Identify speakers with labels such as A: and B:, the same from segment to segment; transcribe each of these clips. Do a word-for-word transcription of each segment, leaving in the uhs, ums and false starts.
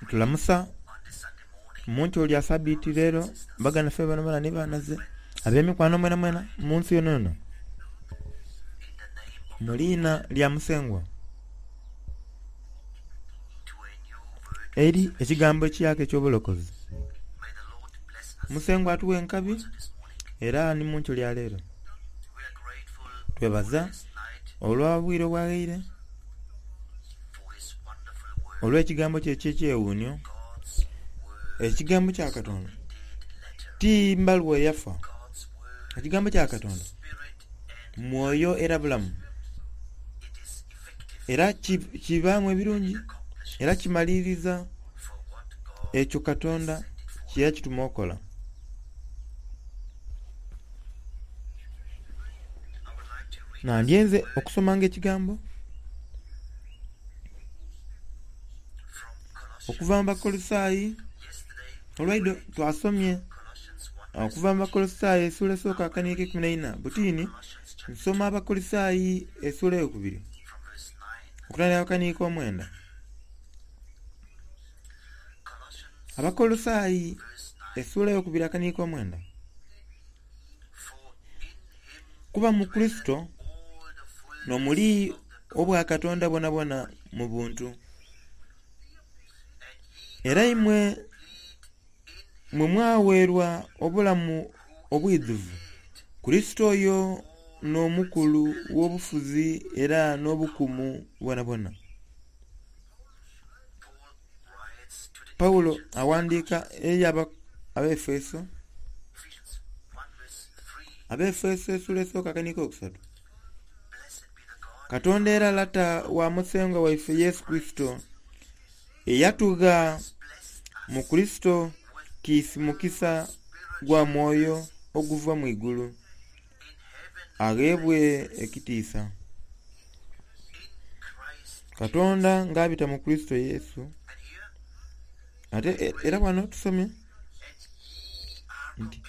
A: Tulamusa Muntu olya sabiti leero baganda ffe bonabona ni banaze ab'emikwano mwenamwena mu nsi yonayona mu liina lya Musengwa eri ekigambo ekiyaka eky'obulokozi. Musengwa atuwe enkabi era ni muntu olya leero. Twebaza olwa bwire obwaghaire olw'ekigambo kye eky'ekyewuunhio. Ekigambo kya Katonda ti mbaluwa eyafa. Ekigambo kya Katonda mwoyo era bulamu, era kibaamu ebirungi era kimaliriza ekyo Katonda kyeyakituma okola. Nandyenze okusomanga ekigambo okuva mu Bakolosaayi. Olwaidho twasomye okuva mu Bakolosaayi esula esooka akaniiko eikumi n'eina. Butini nsoma Abakolosaayi esula eyokubiri okutandika akaniiko omwenda. Abakolosaayi esula eyokubiri akaniiko omwenda. Kuba mu Kurisito n'omuli obwakatonda bwonabwona mu buntu. Era imwe mwe mwaweerwa obulamu obwidhuvu. Kurisito oyo n'omukulu w'obufuzi era n'obukumu bwonabwona. Pawulo awandiika eri Abaefeso, Abaefeso esula esooka akaniiko okusatu. Katonda era Lata wa Musengwa waife Yesu Kurisito eyatugha mu Kurisito kiisi mukisa gwa mwoyo oguva mu igulu, agheebwe ekitiisa. Katonda nga abita mu Kurisito Yesu. Ate era wano tusomye nti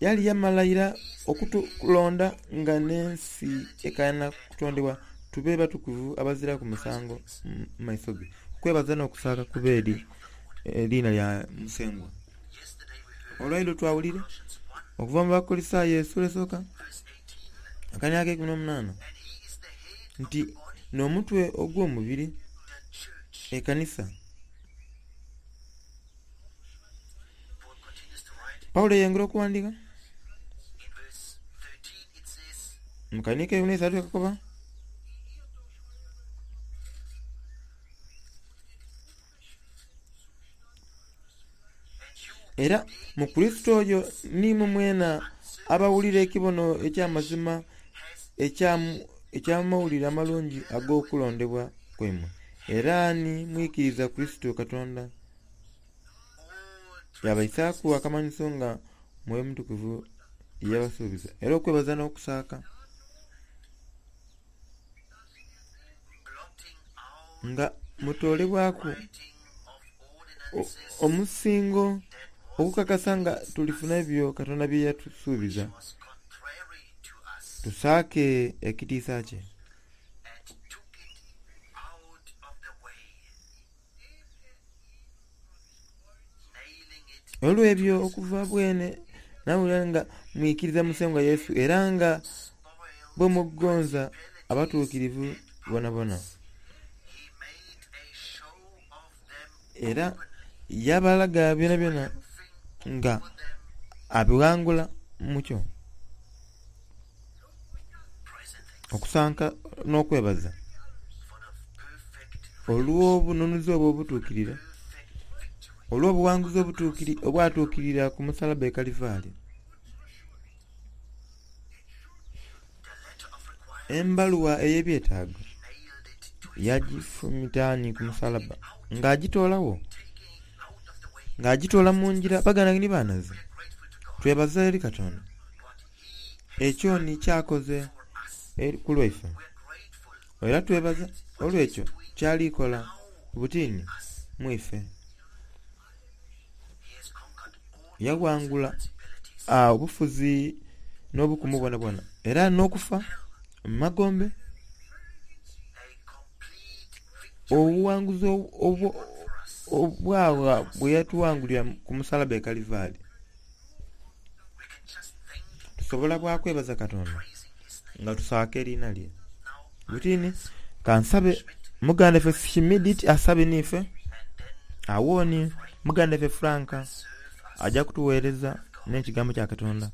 A: yali yamala ira okutulonda nga n'ensi ekaana kutondebwa tube batukuvu abaziraku musango mu maiso ge. Okwebaza n'okusaaka kube eri eriina lya Musengwa. Olwaidho twawulire okuva mu Bakolosaayi esula esooka akaniiko eikumi n'omunaana nti n'omutwe ogw'omubiri ekanisa. Pawulo yeyongera okuwandiika mu kaniiko eikumi n'eisatu akakoba era mu Kurisito oyo nimwe mwena abawulira ekibono eky'amazima eky'amawulire amalungi ag'okulondebwa kwaimwe, era ni mwikiriza Kurisito Katonda yabaisaaku akamanhiso nga Mwoyo Mutukuvu yabasuubiza. Era okwebaza n'okusaaka nga mutoolebwaku omusingo okukakasa nga tulifuna ebyo Katonda bye yatusuubiza, tusaake ekitiisa kye. Olw'ebyo okuva bwene nawulira nga mwikiriza Musengwa Yesu era nga bwe mugonza abatuukirivu bonabona. Era yabalaga byonabyona nga abighangula mukyo. Okusanka n'okwebaza olw'obununuzi obwo obutuukirira, olw'obuwanguzi obwatuukirira ku musalaba e Kalivari. Embaluwa ey'ebyetaago yagifumitaani ku musalaba nga agitoolagho, nga agitoola mu ngira. Baganda ni banaze, twebaza eri Katonda ekyo ni kyakoze ku lwaife. Era twebaza olw'ekyo kyali kola butini mwife. Yaghangula obufuzi n'obukumu bwonabwona era n'okufa mu magombe obuwanguzi obwawa bwe yatuwangulira ku musalaba e Kalivaali. Tusobola bwakwebaza Katonda nga tusaaka eriina lye. Butini kansabe muganda ife Shimidit asabe niife, awooni muganda ife Frank ajja kutuweereza n'ekigambo kya Katonda.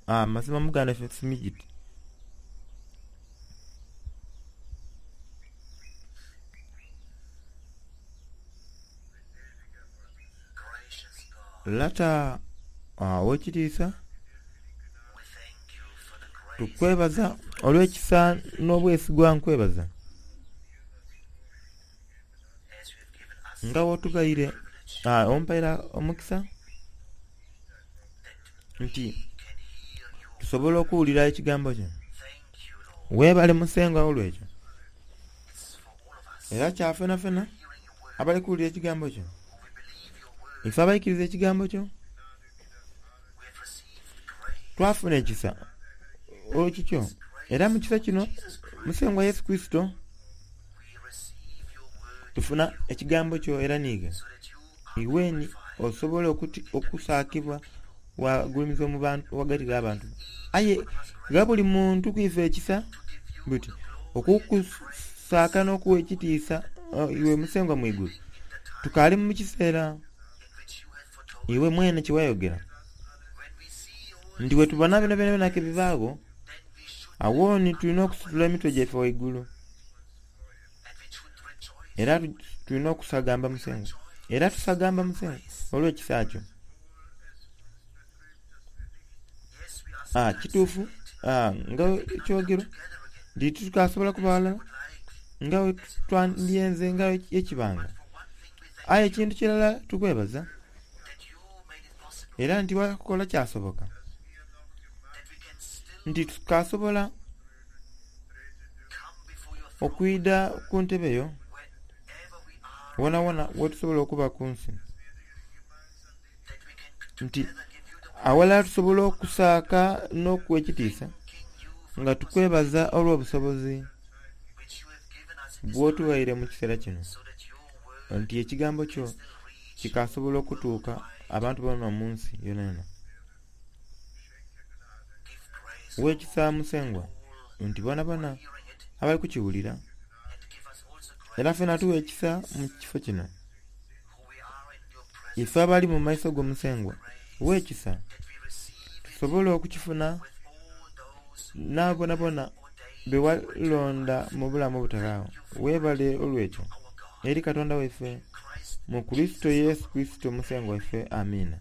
A: Ah, mazima muganda ife Simijit. Lata ow'ekitiisa, tukwebaza olw'ekisa n'obwesigwa nkwebaza nga wotugaire ompaire omukisa nti tusobola okuwulira ekigambo kyo. Weebale Musengwa olw'ekyo era kyafenafena abali kuwulira ekigambo kyo. Ife abaikiriza ekigambo kyo twafuna ekisa olw'ekikyo, era mu kisa kino Musengwa Yesu Kristo tufuna ekigambo kyo era niiga iweni osobola okusaakibwa wagulumiza mu bantu wagati g'abantu. Aye ga buli muntu kwife ekisa buti okukusaaka n'okuwa ekitiisa iwe Musengwa mwigulu tukaali mu kiseera iwe mwene kyewayogera nti wetubona bino byona byona kebibaagho awooni tulina okusitula emitwe gyaife waigulu era tulina okusagamba Musengwa era tusagamba Musengwa olw'ekisa kyo. Ah, kituufu ah, nga ekyogerwa nti tukasobola kuba ghalala nga twandyenze nga ekibanga. Aye ekintu kirala tukwebaza era nti wakola kyasoboka nti tukasobola okwida ku ntebe yo wona wona wetusobola okuba ku nsi, nti awalala tusobola okusaaka n'okuwa ekitiisa nga tukwebaza olw'obusobozi bw'otuwaire mu kiseera kino nti ekigambo kyo kikasobola okutuuka abantu bona mu nsi yonayona. W'ekisa Musengwa nti bona bona abali kukiwulira era fena tuwa ekisa mu kifo kino ife abali mu maiso g'Omusengwa w'ekisa tusobole okukifuna n'abonabona be walonda mu bulamu obutalaawo. Weebale olw'ekyo eri Katonda waife mu Kristo Yesu Kristo Musengwa waife. Amiina.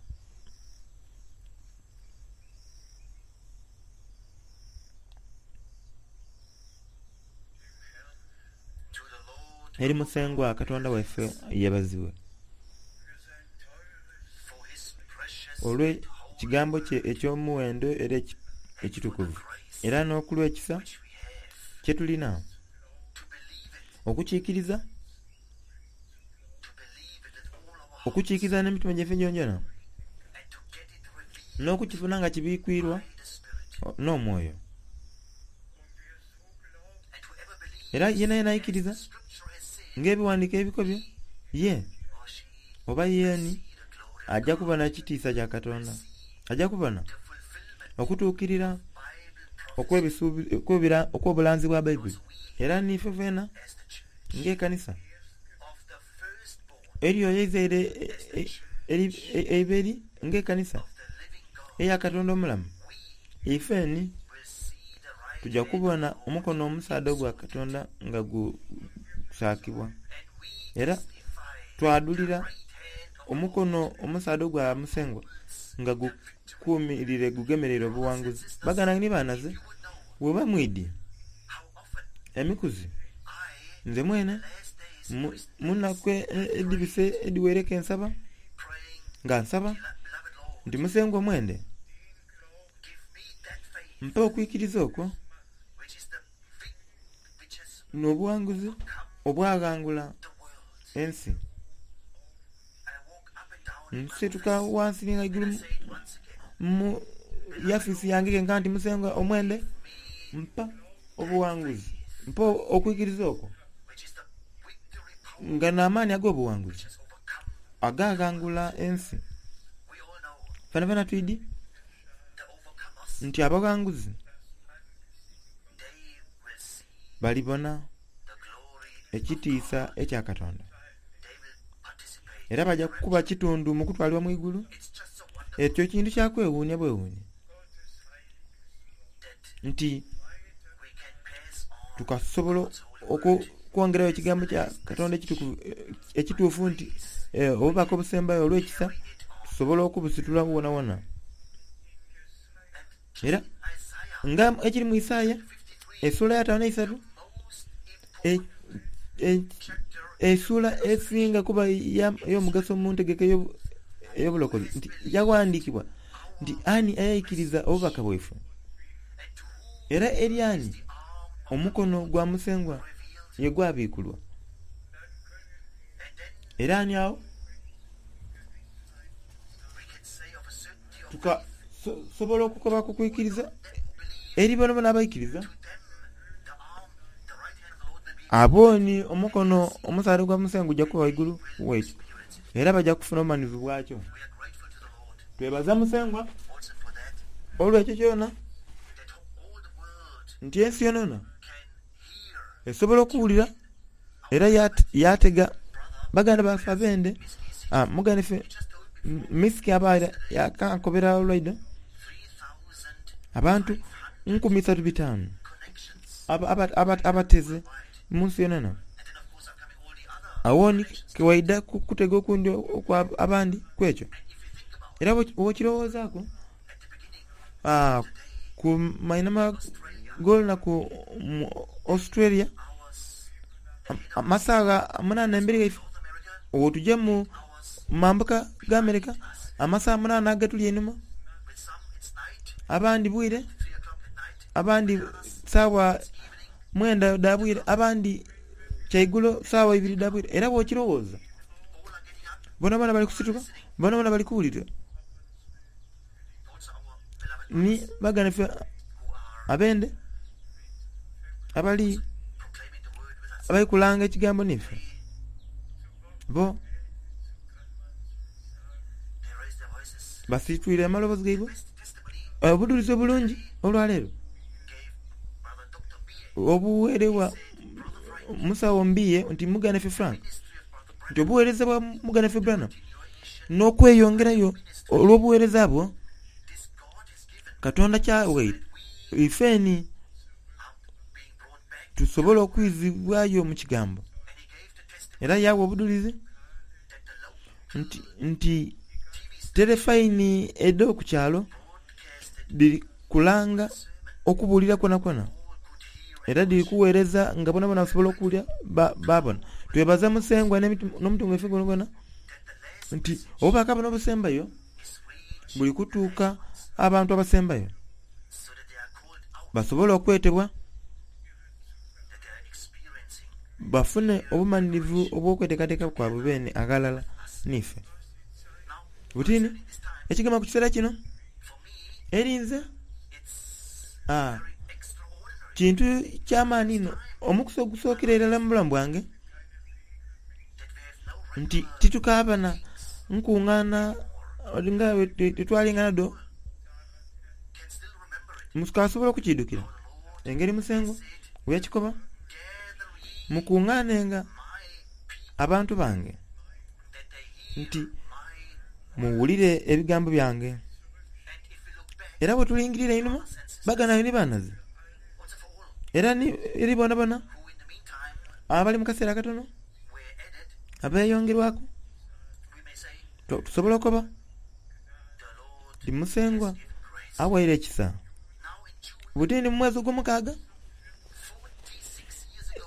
A: Eri Musengwa Katonda waife yeebazibwe olw'ekigambo kye eky'omuwendo era ekitukuvu era n'okulw'ekisa kye tulina okukiikiriza okukiikiriza n'emitima gyaife gyongyona n'okukifuna nga kibikwirwa n'omwoyo. Era yena yena aikiriza ng'ebiwandiiko ebikobye ye oba yeeni ajja kubona ekitiisa kya Katonda, ajja kubona okutuukirira okw'obulanzi bwa Baibuli. Era niife fena ng'ekanisa eriyo eizaire eiberi ng'ekanisa eya Katonda omulamu, ifeni tujja kubona omukono omusaadha ogwa Katonda nga gusaakibwa era twadulira omukono omusaadha ogwa Musengwa nga gukuumirire gugemereire obuwanguzi. Baganda ni banaze bweba mwidi emikuzi nze mwene munaku edhibise edhiwereko ensaba nga nsaba nti Musengwa mwende mpa okwikiriza okwo n'obuwanguzi obwaghangula ensi. Nsituka wansi ni ghaigulu mu yafisi yange kenka nti Musengwa omwende mpa obuwanguzi, mpa okwikiriza okwo nga n'amaani ag'obuwanguzi Agaghangula ensi. Fenafena twidi nti abaghanguzi balibona ekitiisa ekya Katonda, era bajja kuba kitundu mu kutwalibwa mu igulu. Ekyo kintu kya kwewuunia bwewuunia nti tukasobola okwongerayo ekigambo kya Katonda ekituufu nti obubaka obusembayo olw'ekisa tusobola okubusitula wonawona. Era nga ekiri mu Isaaya essuula ya ataano n'eisatu, essuula esinga kuba ey'omugaso mu ntegeka ey'obulokozi, nti yaghandiikibwa nti ani ayaikiriza obubaka bwaife, era eri ani omukono gwa Musengwa ye gwabiikulwa. Era ani awo tukasobola okukoba ku kwikiriza eri bonabona abaikiriza abo ni omukono omusaadha gwa Musengwa gujja kuba waigulu wekyo, era bajja kufuna obumanyirivu bwakyo. Twebaza Musengwa olw'ekyo kyona nti ensi yonayona esobola okuwulira era yatega baganda baffe abende. Muganda ife Misiki abaire yakankobera olwaidho abantu nkumi isatu bitaanu abateze mu nsi yonayona. Awo ni kewaidha kutega okundi okwa abandi kwekyo. Era bw'okirowoozaaku ku mainhama g'olunaku mu Australia, amasaagha munaana emberi ghaife, olwo tuje mu mambuka ga America, amasaagha munaana agatuli einhuma, abandi bwire, abandi sawa mwenda dha bwire, abandi kyaigulo sawa ibiri dha bwire. Era bw'okirowooza bonabona bali kusituka, bonabona bali kuwulira. Ni baganda ife abende abali abali kulanga ekigambo nife bo basitwire amaloboozi gaibwe. Obudulizi obulungi olwaleero obuweerewa musawo Mbiye nti muganda ife Frank, nti obuweereza bwa muganda ife Branham n'okweyongerayo olw'obuweereza bwo Katonda kyawaire ifeni tusobola okwizibwayo mu kigambo. Era yawa obudulizi nti, nti telefaini edh'oku kyalo dhiri kulanga okubuulira kwonakwona, era dhiri kuweereza nga bonabona basobola okuwulira babona. Twebaza Musengwa n'omutima gwaife gwonagwona nti obubaka buno obusembayo buli kutuuka abantu abasembayo basobole okwetebwa bafune obumanirivu obw'okweteekateeka kwabwe bene aghalala niife. Butini ekigema ku kiseera kino erinze aa kintu ky'amaani inho omukisa ogusookera irala mu bulamu bwange nti titukaabana nkungaana nga tetwalinga nadho. Mukasobola okukiidukira engeri Musengwa bweyakikoba, mukungaanenga abantu bange nti muwulire ebigambo byange. Era bwe tulingirira einhuma baganda ni banaze, era ni eri bonabona abali mu kaseera akatono abeeyongerwaku, tusobola okukoba nti Musengwa awaire ekisa. Butini mu mwezi ogw'omukaaga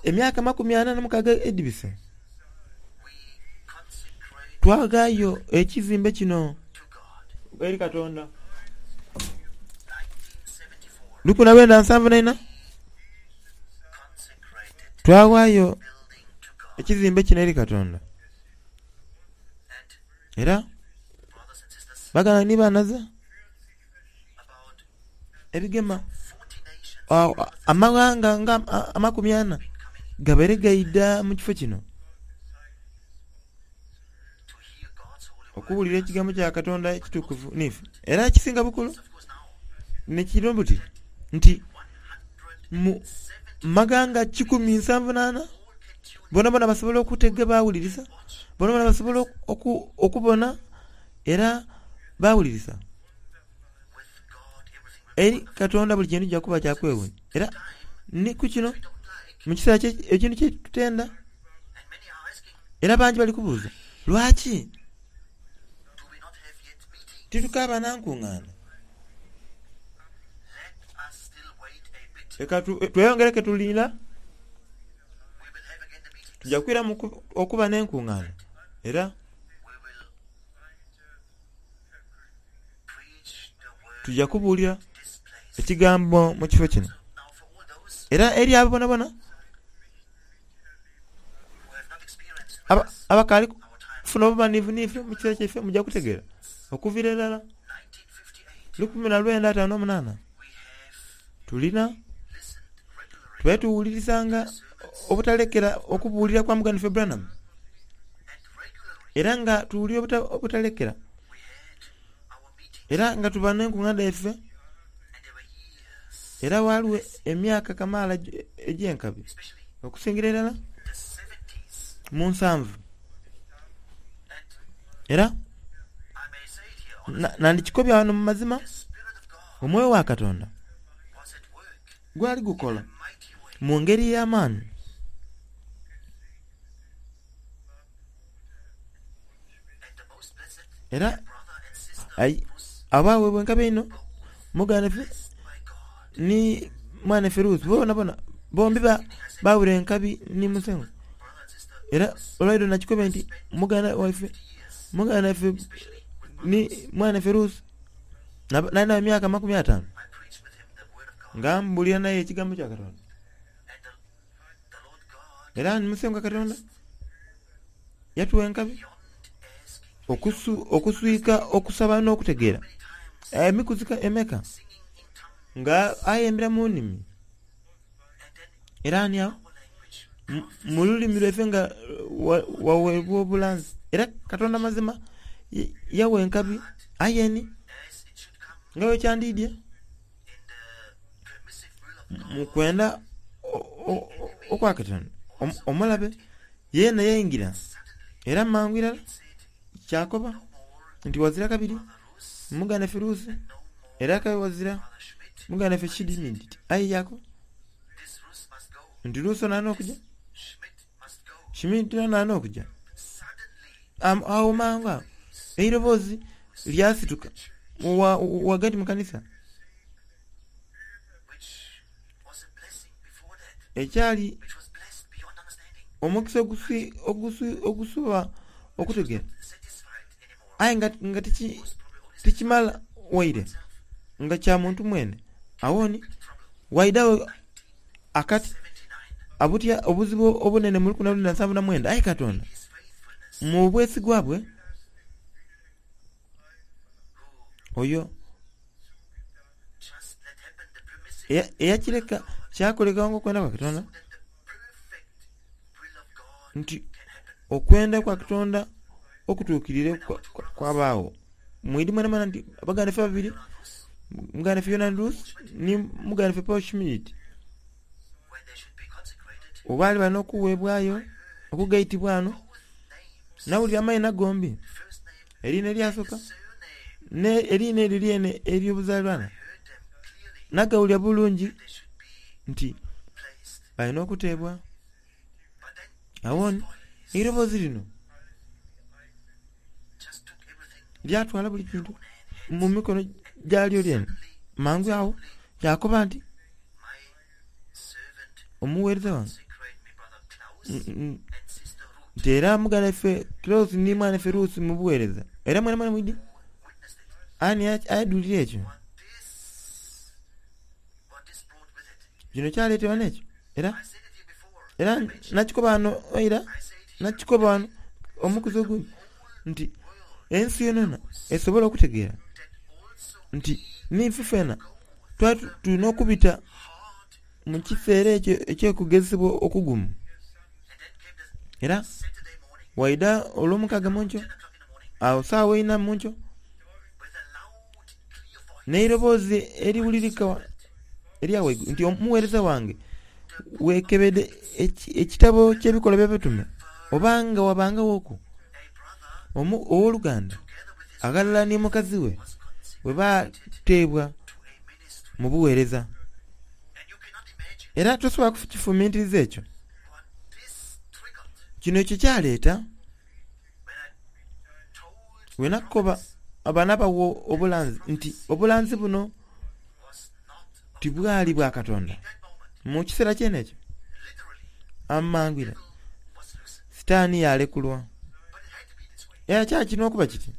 A: emyaka makumi ana n'omukaaga edhibise, twaghaayo ekizimbe kino eri Katonda. Lukumi na lwenda nsanvu na ina twaghaayo ekizimbe kino eri Katonda. Era baganda ni banaze ebigema amaghanga nga amakumi ana gabaire gaidha mu kifo kino Okuwulira ekigambo kya Katonda ekitukuvu niife. Era ekisinga bukulu nekiro buti nti mu maganga kikumi nsanvu n'ana bonabona basobola okutega bawulirisa, bonabona basobola oku, okubona era bawulirisa. Eri Katonda buli kintu kijja kuba kya kwewuunya. Era ni ku kino mu kiseera ekintu kye tutenda, era bangi bali kubuuza lwaki titukaaba na nkungaana. Leka tweyongereke tulinda, tujja kwiramu okuba n'enkungaana era tujja kubuulira ekigambo mu kifo kino. Era eri abo bonabona abakaali kufuna obumanivu niife mu kiseera kyaife mujja kutegeera okuviira irala lukumi na lwenda ataano n'omunaana tulina tubaire tuwulirisanga obutalekera okubuulira kwa muganda waffe Branham, era nga tuwulira obutalekera, era nga tuba n'enkungaana dhaife, era waliwo emyaka kamaala egy'enkabi okusingira irala mu nsanvu. Era nandikikobya wano mu mazima, omwoyo wa Katonda gwali gukola mu ngeri ey'amaani. Era abaweebwa enkabi einho muganda waffe ni mwana waffe Ruth bonabona bombi bawula enkabi ni Musengo. Era olwaidho nakikobye nti muganda waife muganda waffe ni mwana waffe Ruth nali naye emyaka amakumi ataano nga mbulira naye ekigambo kya Katonda. Era ni Musengo Katonda yatuwa enkabi okusu, okuswika okusaba n'okutegeera emikuzi emeka nga ayembera mu nnimi, era ani awo mu lulimi lwaife nga waweebwa obulanzi. Era Katonda mazima yawa enkabi ayeni nga bwe mu kwenda okwa Katonda omulabe yeena yaingira, era mangu irala kyakoba nti wazira kabiri muganda waffe Ruth, era kabe wazira muganda waffe Schmidt. Aye yakoba nti Ruth onaana okujja, Schmidt onaana okujja. Awo mangu awo eiroboozi lyasituka wagati mu kanisa ekyali omukisa ogusuba okutegeera, aye nga, nga tikimala waire nga kya muntu mwene. Awoni waidawo akati abutya obuzibu obunene mu lukumi na lwenda nsanvu na mwenda. Aye Katonda mu bwesigwa bwe oyo eyakireka kyakoleka nga okwenda kwa Katonda, nti okwenda kwa Katonda okutuukirire kwabaawo. Mwidi mwenamwena nti baganda ffe babiri, muganda ffe Yonani Ruth ni muganda ffe Paul Schmidt, obaali balina okuweebwayo okugaitibwa ano, nawulira amaina gombi, eriina eryasooka eriina eryo lyene ery'obuzaalirwana, nagawulira bulungi nti balina okuteebwa. Awoni eiroboozi lino lyatwala buli kintu mu mikono gyalyo lyene. Mangu awo kyakoba nti omuweereza wange nti era muganda waffe Klaus ni mwana waffe Ruth mubuweereza. Era mwena mwena mwidi ani ayadulira ekyo kino kyaleetebwa n'ekyo. Era era nakikoba wano era nakikoba wano omukuzi ogundi nti ensi yonayona esobola okutegeera nti niife fena twali tulina okubita mu kiseera ekyo eky'okugezesebwa okugumu. Era waida olw'omukaaga munkyo Awo saawa ina munkyo n'eiroboozi eriwulirika erya waigulu nti omuweereza wange weekebedde ekitabo ky'ebikolwa by'abatume obanga wabangawoku owooluganda aghalala ni mukazi we bwe bateebwa mu buweereza. Era tosobola kukifumintiriza ekyo. Kino ekyo kyaleeta wenakukoba abaana bawo obulanzi nti obulanzi buno tibwali bwa Katonda. Mu kiseera kyene ekyo amangwira Sitaani yalekulwa. Era kyakirina okuba kiti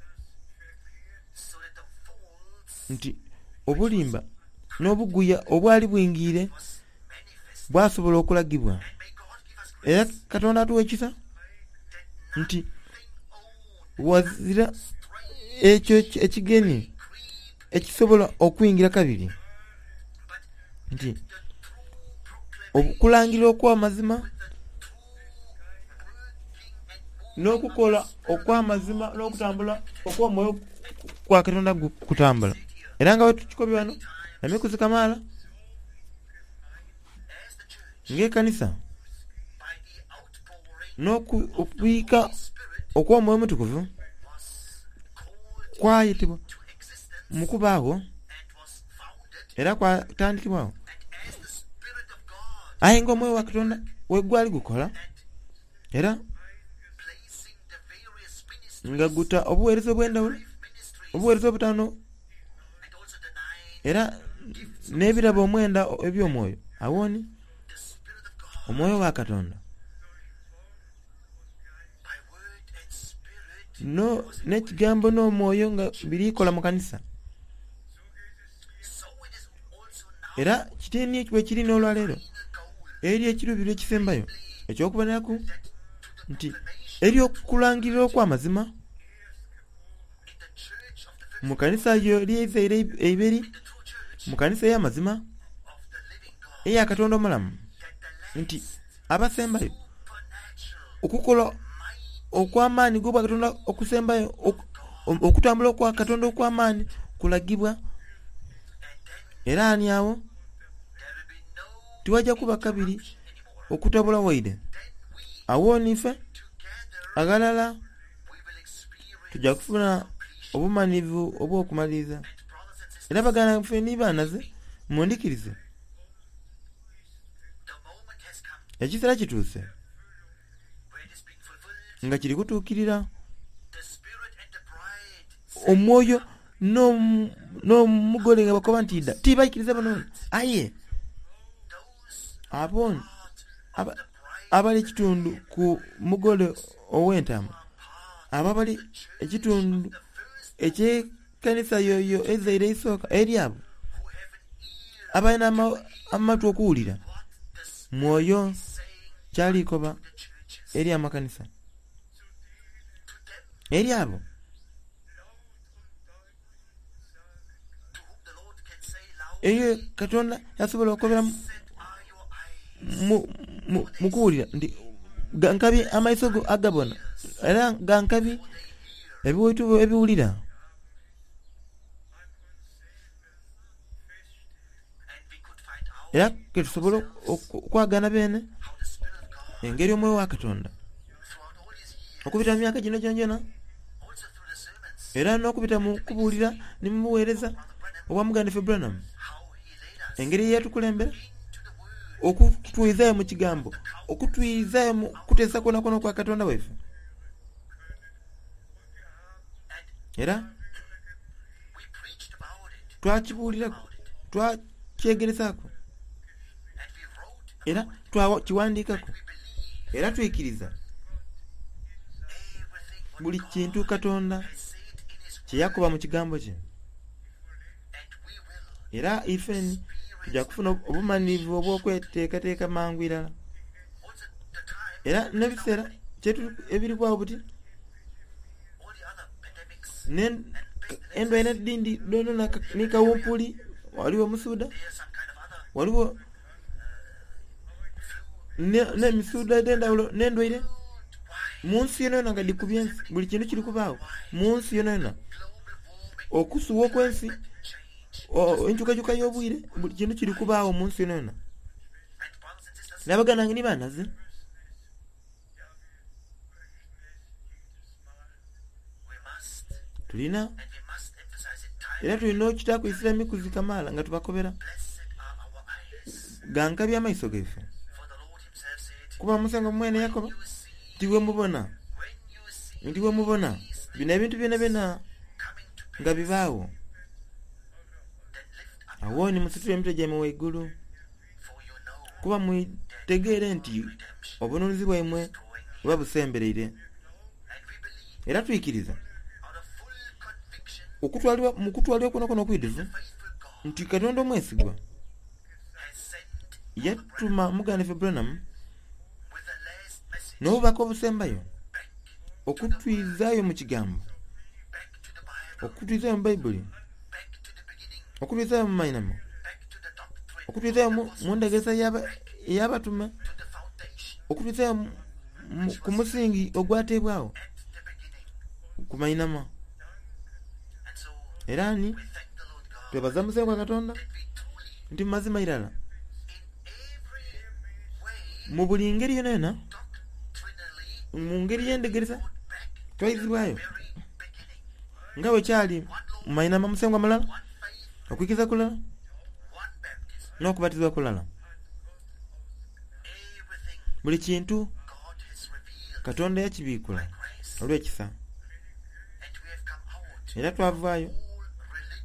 A: nti obulimba n'obuguya obwali bwingiire bwasobola okulagibwa. Era Katonda atuwa ekisa nti wazira ekyo ekigeni ekisobola okuyingira kabiri nti okulangirira okw'amazima n'okukola okw'amazima n'okutambula okw'omwoyo kwa Katonda kutambula. Era nga bwe wano emikuzi kamaala ng'ekanisa n'okubika okw'omwoyo omutukuvu kwayitibwa mu kubaagho era kwatandikibwawo. Aye nga omwoyo wa Katonda we gwali gukola era nga guta obuweereza obw'endhawulo, obuweereza obutaano era n'ebirabo omwenda eby'omwoyo. Awo ni omwoyo wa Katonda n'ekigambo n'omwoyo nga biri kola mu kanisa. Era kitini bwe kiri n'olwaleero eri ekiruubirirwa ekisembayo eky'okuboneraku nti ery'okulangirira okw'amazima mu kanisa yo eryezaire eiberi, mu kanisa ey'amazima eya Katonda omulamu, nti abasembayo okukola okw'amaani g'obwa Katonda okusembayo, okutambula okwa Katonda okw'amaani kulagibwa. Era ani awo tiwajja kuba kabiri okutabula waire. Awo nife aghalala tujja kufuna obumanivu obw'okumaliriza. Era baganda baffe ni baanaze mundikirize, ekiseera kituuse nga kiri kutuukirira omwoyo n'omugole nga bakoba nti idda tibaikiriza bano. Aye abo abali ekitundu ku mugole ow'entaama, abo abali ekitundu eky'ekanisa yoyo ezaire eisooka eri abo abalina amatu okuwulira mwoyo kyalikoba eri amakanisa, eri abo eyo Katonda yasobola okobera mu kuwulira nti gankabi amaiso go agabona era gankabi ebiwaitu ebiwulira. Era ketusobola okwagana bene engeri omwoyo wa Katonda okubita mu myaka gino gyongyona era n'okubita mu kubuulira ni mu buweereza obwa muganda waffe Branham, engeri eyatukulembera okutwizaayo mu kigambo, okutwizaayo mu kuteesa kwonakwo okwa Katonda waife. Era twakibuuliraku, twakyegeresaaku, era twakiwandiikaku, era twikiriza buli kintu Katonda kye yakoba mu kigambo kye. Era ifeni tujja kufuna obumanirivu obw'okweteekateeka mangu irala. Era n'ebiseera ebiribwawo buti endwaire edhindi dhonona ni kawumpuli, waliwo omusuuda, waliwo n'emisuuda edh'endhawulo n'endwaire Mu nsi yonayona nga dhikubye ensi, buli kintu kiri kubaawo mu nsi yonayona. Okusuwa okw'ensi, enkyukakyuka y'obwire, buli kintu kiri kubaawo mu nsi yonayona. N'abaganda bange ni banaze. Tulina era tulina okutaaku eisira emikuzi kamaala nga tubakobera gankabya amaiso gaife. Kuba Musengwa mwene yakoba nti bwe mubona, nti bwe mubona bino ebintu byonabyona nga bibaawo, awo ni musitule emitwe gyaimwe waigulu, kuba mwitegeere nti obununuzi bwaimwe buba busembereire. Era twikiriza okutwalibwa mu kutwalibwa kwonakwo okwidhuvu nti Katonda omwesigwa yatuma muganda waffe Branham n'obubaka obusembayo okutwizaayo mu kigambo, okutwizaayo mu Baibuli, okutwizaayo mu mainamo, okutwizaayo mu ndhegeresa ey'abatume, okutwizaayo ku musingi ogwateebwawo ku mainama. Era ni twebaza Musengwa Katonda nti mu mazima irala mu buli ngeri yonayona, mu ngeri y'endhegeresa twaizibwayo nga bwe kyali mu mainama Musengwa mulala, okwikiriza kulala n'okubatizibwa kulala. Buli kintu Katonda yakibiikula olw'ekisa. Era twavaayo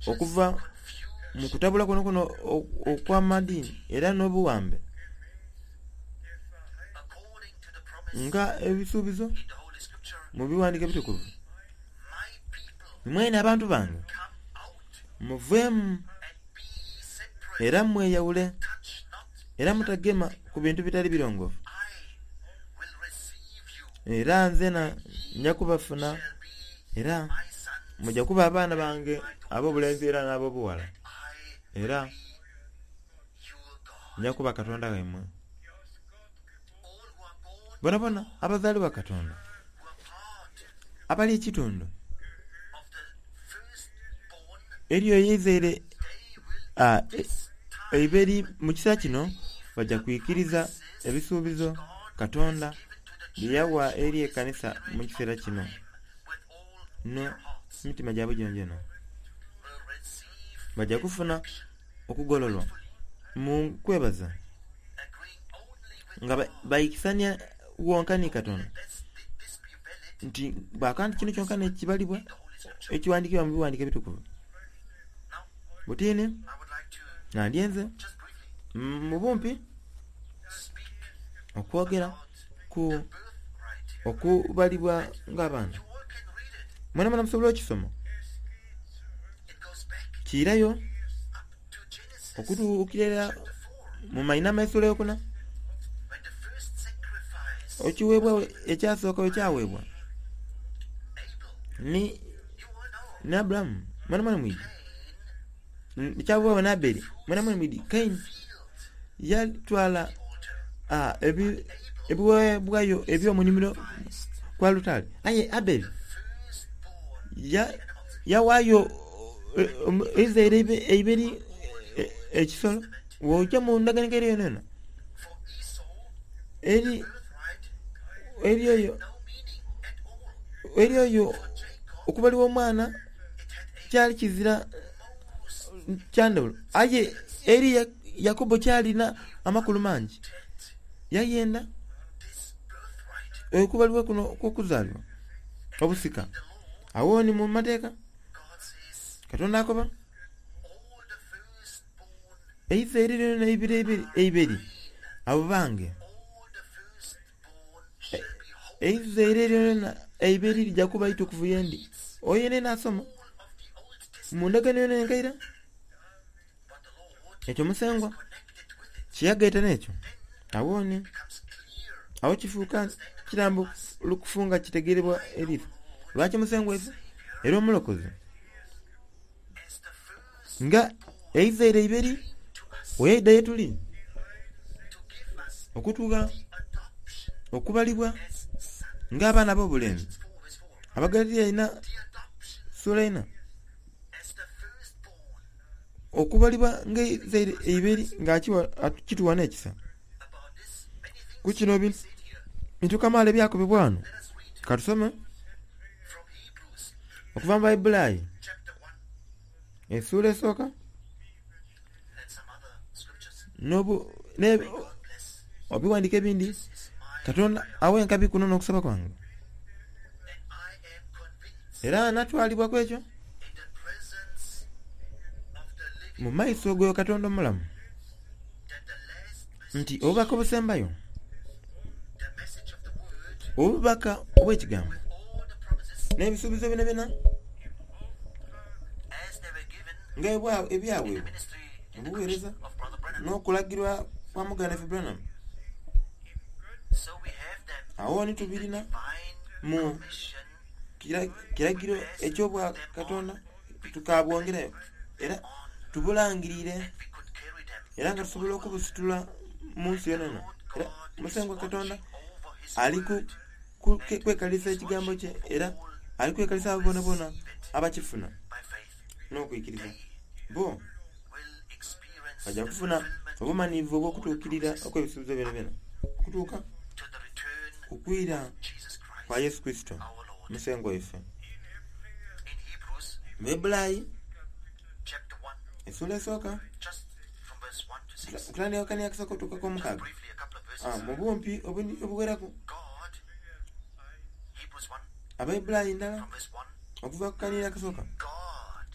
A: okuva mu kutabula kwonakwona okw'amadiini era n'obuwambe nga ebisuubizo mu biwandiiko ebitukuvu. Mwene abantu bange muveemu era mweyawule era mutagema ku bintu bitali birongoofu. Era nzena nja kubafuna era mujja kuba abaana bange ab'obulenzi era n'ab'obuwala, era nja kuba Katonda waimwe. Bonabona abazaalibwa Katonda abali ekitundu eriyo eizaire eiberi mu kiseera kino bajja kwikiriza ebisuubizo Katonda bye yawa eri ekanisa mu kiseera kino n'emitima gyabwe gyonagyona. Bajja kufuna okugololwa mu kwebaza nga baikisania wonka ni Katonda nti bw'akoba nti kino kyonka n'ekibalibwa ekiwandiikibwa mu biwandiiko ebitukuvu. Butini nandyenze mu bumpi okwogera ku okubalibwa ng'abaana. Mwenamwena musobola okisoma. Kiirayo okutuukirira mu mainama essuula eyokuna, ekiweebwa ekyasooka bwe kyaweebwa ni ni Aburahamu mwenamwena mwidi ekyaweebwa ni Abeli mwenamwena mwidi Kaini yatwala ebiweebwayo eby'omunimiro ku alutaari, aye Abeli yawaayo eizaire eiberi ekisolo. Bw'ojja mu ndagaano enkaire yonayona eri eri oyo eri oyo okubalibwa omwana kyali kizira kya ndhawulo, aye eri Yakobo kyalina amakulu mangi. Yayenda okubalibwa kuno okw'okuzaalibwa obusika. Awo ni mu mateeka Katonda akoba eizaire lyonayona eiberi abo bange, eizaire lyonayona eiberi lija kuba itukuvu yendi. Oyo yenayena asoma mu ndagaano yonayona enkaire ekyo Musengwa kyeyagaita n'ekyo, awo ni awo kifuuka kirambo lukufu nga kitegeerebwa eriiso. Lwaki Musengwa ife era omulokozi nga eizaire eiberi weyaidha ye tuli okutugha okubalibwa Ng'abaana ab'obulenzi.
B: Galatians four verse four.
A: Abagalatiya ina
B: The adoption
A: sula ina
B: as the firstborn
A: okubalibwa ng'eizaire eiberi ng'akiwa atu- kituwa n'ekisa.
B: about this many things
A: Ku kino
B: can be
A: bintu
B: said here.
A: bintu kamaala ebyakobebwa wano.
B: Let us read
A: Katusome
B: from Hebrews
A: okuva mu Bayibulayi
B: chapter one
A: essuula esooka
B: and some other scriptures.
A: n'obu ne
B: May God bless.
A: obiwandiiko ebindi.
B: This is my
A: Katonda
B: prayer,
A: awe enkabi kuno n'okusaba kwange.
B: and I am convinced
A: Era natwalibwa ku ekyo
B: in the presence of the living
A: mu maiso g'oyo Katonda omulamu
B: that the last
A: nti
B: message,
A: obubaka obusembayo
B: the message of the word,
A: obubaka obw'ekigambo
B: with all the promises
A: n'ebisuubizo byona byona
B: as they were given
A: nga ebwa-
B: in the
A: ebyaweebwa
B: ministry in the
A: obuweereza
B: commission of Brother Branham.
A: n'okulagirwa kwa muganda waffe Branham.
B: So we have them
A: Awo ni
B: in the
A: tubirina
B: divine
A: mu
B: commission
A: kira- kiragiro eky'obwa Katonda tukabwongerayo era
B: on,
A: tubulangirire
B: and we could carry them
A: era nga
B: into all
A: tusobola
B: the world.
A: okubusitula mu nsi
B: The
A: yonayona.
B: Lord
A: Era
B: God is
A: Musengwa Katonda
B: watching over his
A: ali ku
B: word
A: ku- ke-
B: and
A: kwekalisa
B: is
A: ekigambo
B: watching
A: kye era
B: all
A: ali kwekalisa
B: who
A: abo bonabona
B: receive it
A: abakifuna
B: by faith.
A: n'okwikiriza.
B: They
A: Bo
B: will experience
A: bajja
B: the
A: kufuna
B: fulfillment
A: obumanyivu
B: of all the
A: obw'okutuukirira
B: promises
A: okw'ebisuubizo byona byona okutuuka
B: to the return
A: ku kwira
B: of Jesus
A: kwa
B: Christ,
A: Yesu Kristo
B: our Lord.
A: Musengwa waffe.
B: In Hebrews
A: Mu Bayibulayi
B: chapter one,
A: essuula esooka
B: just from verse one to six,
A: okutandika kani akasooka okutuuka
B: just
A: k'omukaaga.
B: briefly a couple of
A: Ah,
B: verses.
A: mu bumpi obundi obuwerako
B: God, Hebrews one,
A: Abayibulayi ndala
B: from verse one,
A: okuva ku kanira akasooka.
B: God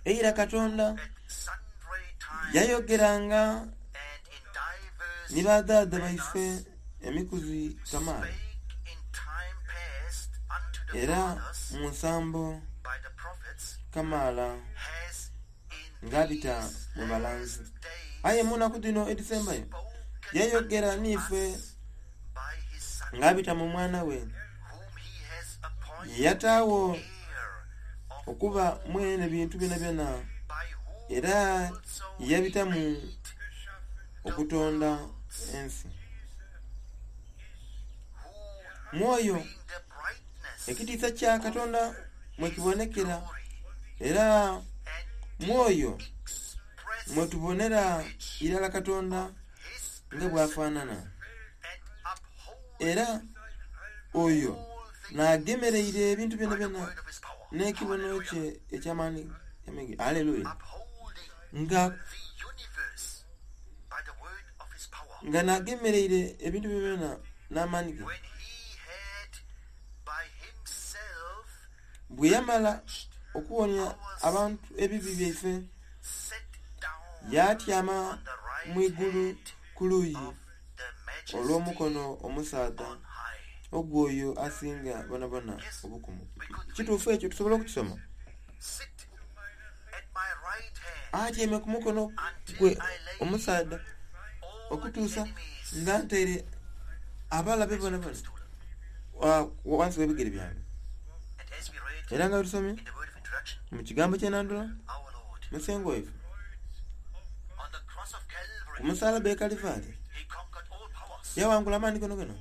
A: Eira Katonda
B: at sundry times
A: yayogeranga
B: and in diverse
A: ne badaada baife
B: manners
A: emikuzi kamaala
B: spake in time past unto the
A: era
B: fathers
A: mu nsambo
B: by the prophets,
A: kamaala
B: has in
A: ng'abita
B: these
A: mu balanzi.
B: last days
A: Aye mu nnaku dhino edisembayo
B: spoken
A: yayogera
B: unto
A: n'ife
B: us by his Son,
A: ng'abita mu mwana we
B: whom he has appointed
A: yataawo
B: heir of
A: okuba
B: all
A: mwene bintu byona byona
B: by whom
A: era
B: also he
A: yabita mu
B: made the
A: okutonda
B: worlds,
A: ensi.
B: who
A: Mwoyo
B: being the brightness
A: ekitiisa kya Katonda mwe
B: his
A: kibonekera
B: glory
A: era
B: and the
A: mwoyo
B: express
A: mwe tubonera
B: image
A: irala Katonda
B: of his
A: nga
B: person,
A: bw'afaanana.
B: and upholdeth
A: Era oyo
B: all things
A: n'agemereire ebintu byona
B: by the
A: byona
B: word of his power.
A: n'ekibono
B: Hallelujah.
A: kye eky'amaanyi amenge. Aleluya.
B: Upholding
A: Nga
B: the universe by the word of his power.
A: nga n'agemereire ebintu byona byona n'amaanyi ge.
B: When he had by himself
A: Bwe yamala
B: purged
A: okuwonya
B: our
A: abantu ebibi
B: sins,
A: byaife
B: sat down
A: y'atyama
B: on the right
A: mu igulu
B: hand
A: ku luuyi
B: of the majesty
A: olw'omukono omusaadha
B: on high.
A: ogw'oyo asinga bonabona
B: Yes,
A: obukumu.
B: we could read,
A: Kituufu ekyo tusobola okukisoma.
B: Sit at my right hand
A: Atyame ku mukono
B: until
A: gwe
B: I lay
A: omusaadha
B: all the
A: okutuusa
B: enemies
A: nga nteere abalabe
B: as your
A: bonabona
B: footstool.
A: wa- wansi w'ebigere byange.
B: And as we read
A: Era nga bwe tusomye
B: in the word of introduction,
A: mu kigambo ky'enandula
B: our Lord
A: Musengwa waife
B: on the cross of
A: ku
B: Calvary,
A: musalaba e Kalivaali
B: he conquered all powers.
A: yawangula amaanyi gono gono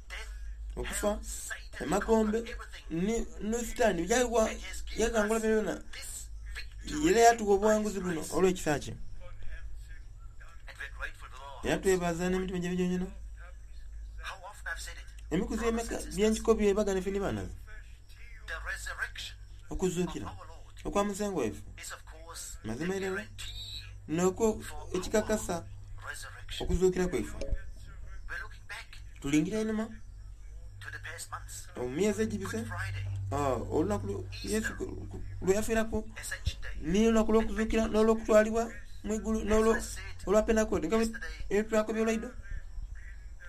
B: Death,
A: okufa
B: hell, Satan, he
A: emagombe
B: conquered everything.
A: ne ne sitaani byagwa
B: And he has given
A: yagangula
B: us
A: byona byona
B: this victory
A: era yatuwa
B: by his
A: obuwanguzi buno
B: grace.
A: olw'ekisa kye
B: And we're grateful with all our
A: era
B: hearts.
A: twebaza n'emitima gyaife gyonyona
B: How often I've said it,
A: emikuzi
B: brothers
A: emeka
B: and sisters,
A: byenkikobye bagana ffe ne baanaze
B: the resurrection of
A: okuzuukira
B: our Lord
A: okwa Musengwa waife
B: is of course the
A: mazima irala
B: guarantee
A: nokwo
B: for our
A: ekikakasa
B: resurrection.
A: okuzuukira kwaife
B: We're looking back
A: tulingira einuma
B: to the past months.
A: mu myezi egibise
B: Good Friday,
A: ah, olunaku lwe- Yesu ku- ku- lwe yafiirako
B: Ascension Day,
A: n'olunaku
B: and
A: lw'okuzuukira
B: Pentecost.
A: n'olwokutwalibwa mu igulu
B: As
A: n'olwo
B: I said
A: olwa Pentekooti nga bwe
B: yesterday,
A: twakobye olwaiddo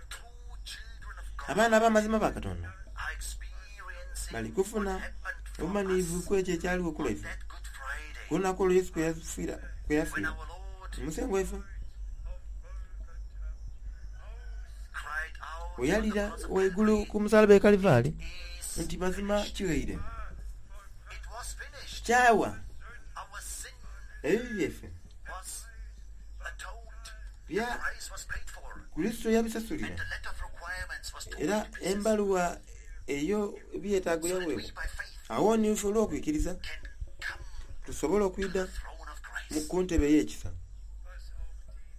B: true children of God
A: abaana ab'amazima ba Katonda
B: are experiencing
A: bali
B: what
A: kufuna
B: happened for
A: obumanyivu
B: us
A: ku ekyo ekyaliwo
B: on
A: ku lwaife
B: that Good Friday
A: ku lunaku olwo Yesu kwe yafiira kwe
B: when
A: yafiira
B: our Lord
A: Omusengo waife
B: cried out
A: bwe
B: on the
A: yalira
B: cross of
A: waigulu
B: Calvary,
A: ku musalaba e Kalivaali
B: "It is
A: nti mazima
B: finished."
A: kiweire
B: It was finished.
A: kyawa
B: Our sin
A: ebibi byaffe
B: was atoned. The
A: bya
B: price was paid for.
A: Kristo yabisasulira
B: And the letter of requirements was torn
A: era
B: to pieces.
A: embaluwa Eyo ebyetaago
B: So that we
A: yaweebwa
B: by faith
A: awo nife olw'okwikiriza
B: can come
A: tusobole
B: to
A: okwidha
B: the throne of
A: mu
B: grace.
A: ku ntebe ey'ekisa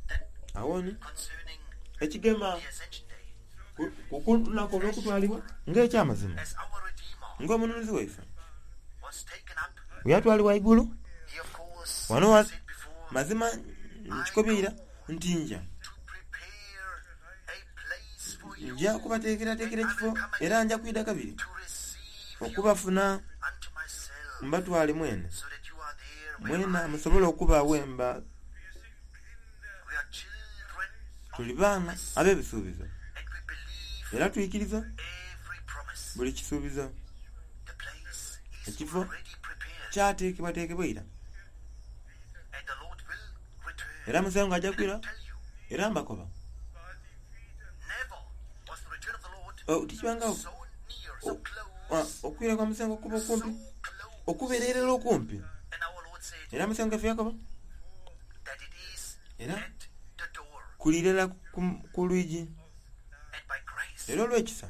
B: Then
A: awo ni
B: concerning
A: ekigema
B: the ascension day,
A: ku- ku lunaku olw'okutwalibwa ng'ekyamazima
B: as our Redeemer
A: ng'omununuzi waife
B: was taken up,
A: bwe yatwalibwa igulu
B: he of course
A: Wano wa-
B: said before
A: mazima nkikobiira nti nja
B: to prepare a place for you
A: nja kubateekerateekera ekifo era nja kwida kabiri
B: to receive you
A: okubafuna
B: unto myself,
A: mbatwale mwene
B: so that you are there where
A: mwena
B: I
A: musobole okuba wemba
B: We are children of
A: tuli baana
B: promise,
A: ab'ebisuubizo
B: and we believe
A: era tuyikiriza
B: every promise.
A: buli kisuubizo
B: The place is
A: Ekifo
B: already prepared,
A: kyateekebwateekebwa era
B: and the Lord will return.
A: era musengo ajja
B: And
A: kwira
B: I tell you,
A: era mbakoba
B: never was the return of the Lord
A: Oh, tikibangawo
B: so near, so
A: Oh,
B: close,
A: ah, okwira kwa musengo kuba
B: so
A: okumpi
B: close.
A: okubeererera okumpi
B: And our Lord said
A: era musengo ffe yakoba
B: that it is
A: Era?
B: at the door,
A: kulirera ku- ku lwigi
B: and by grace
A: era olw'ekisa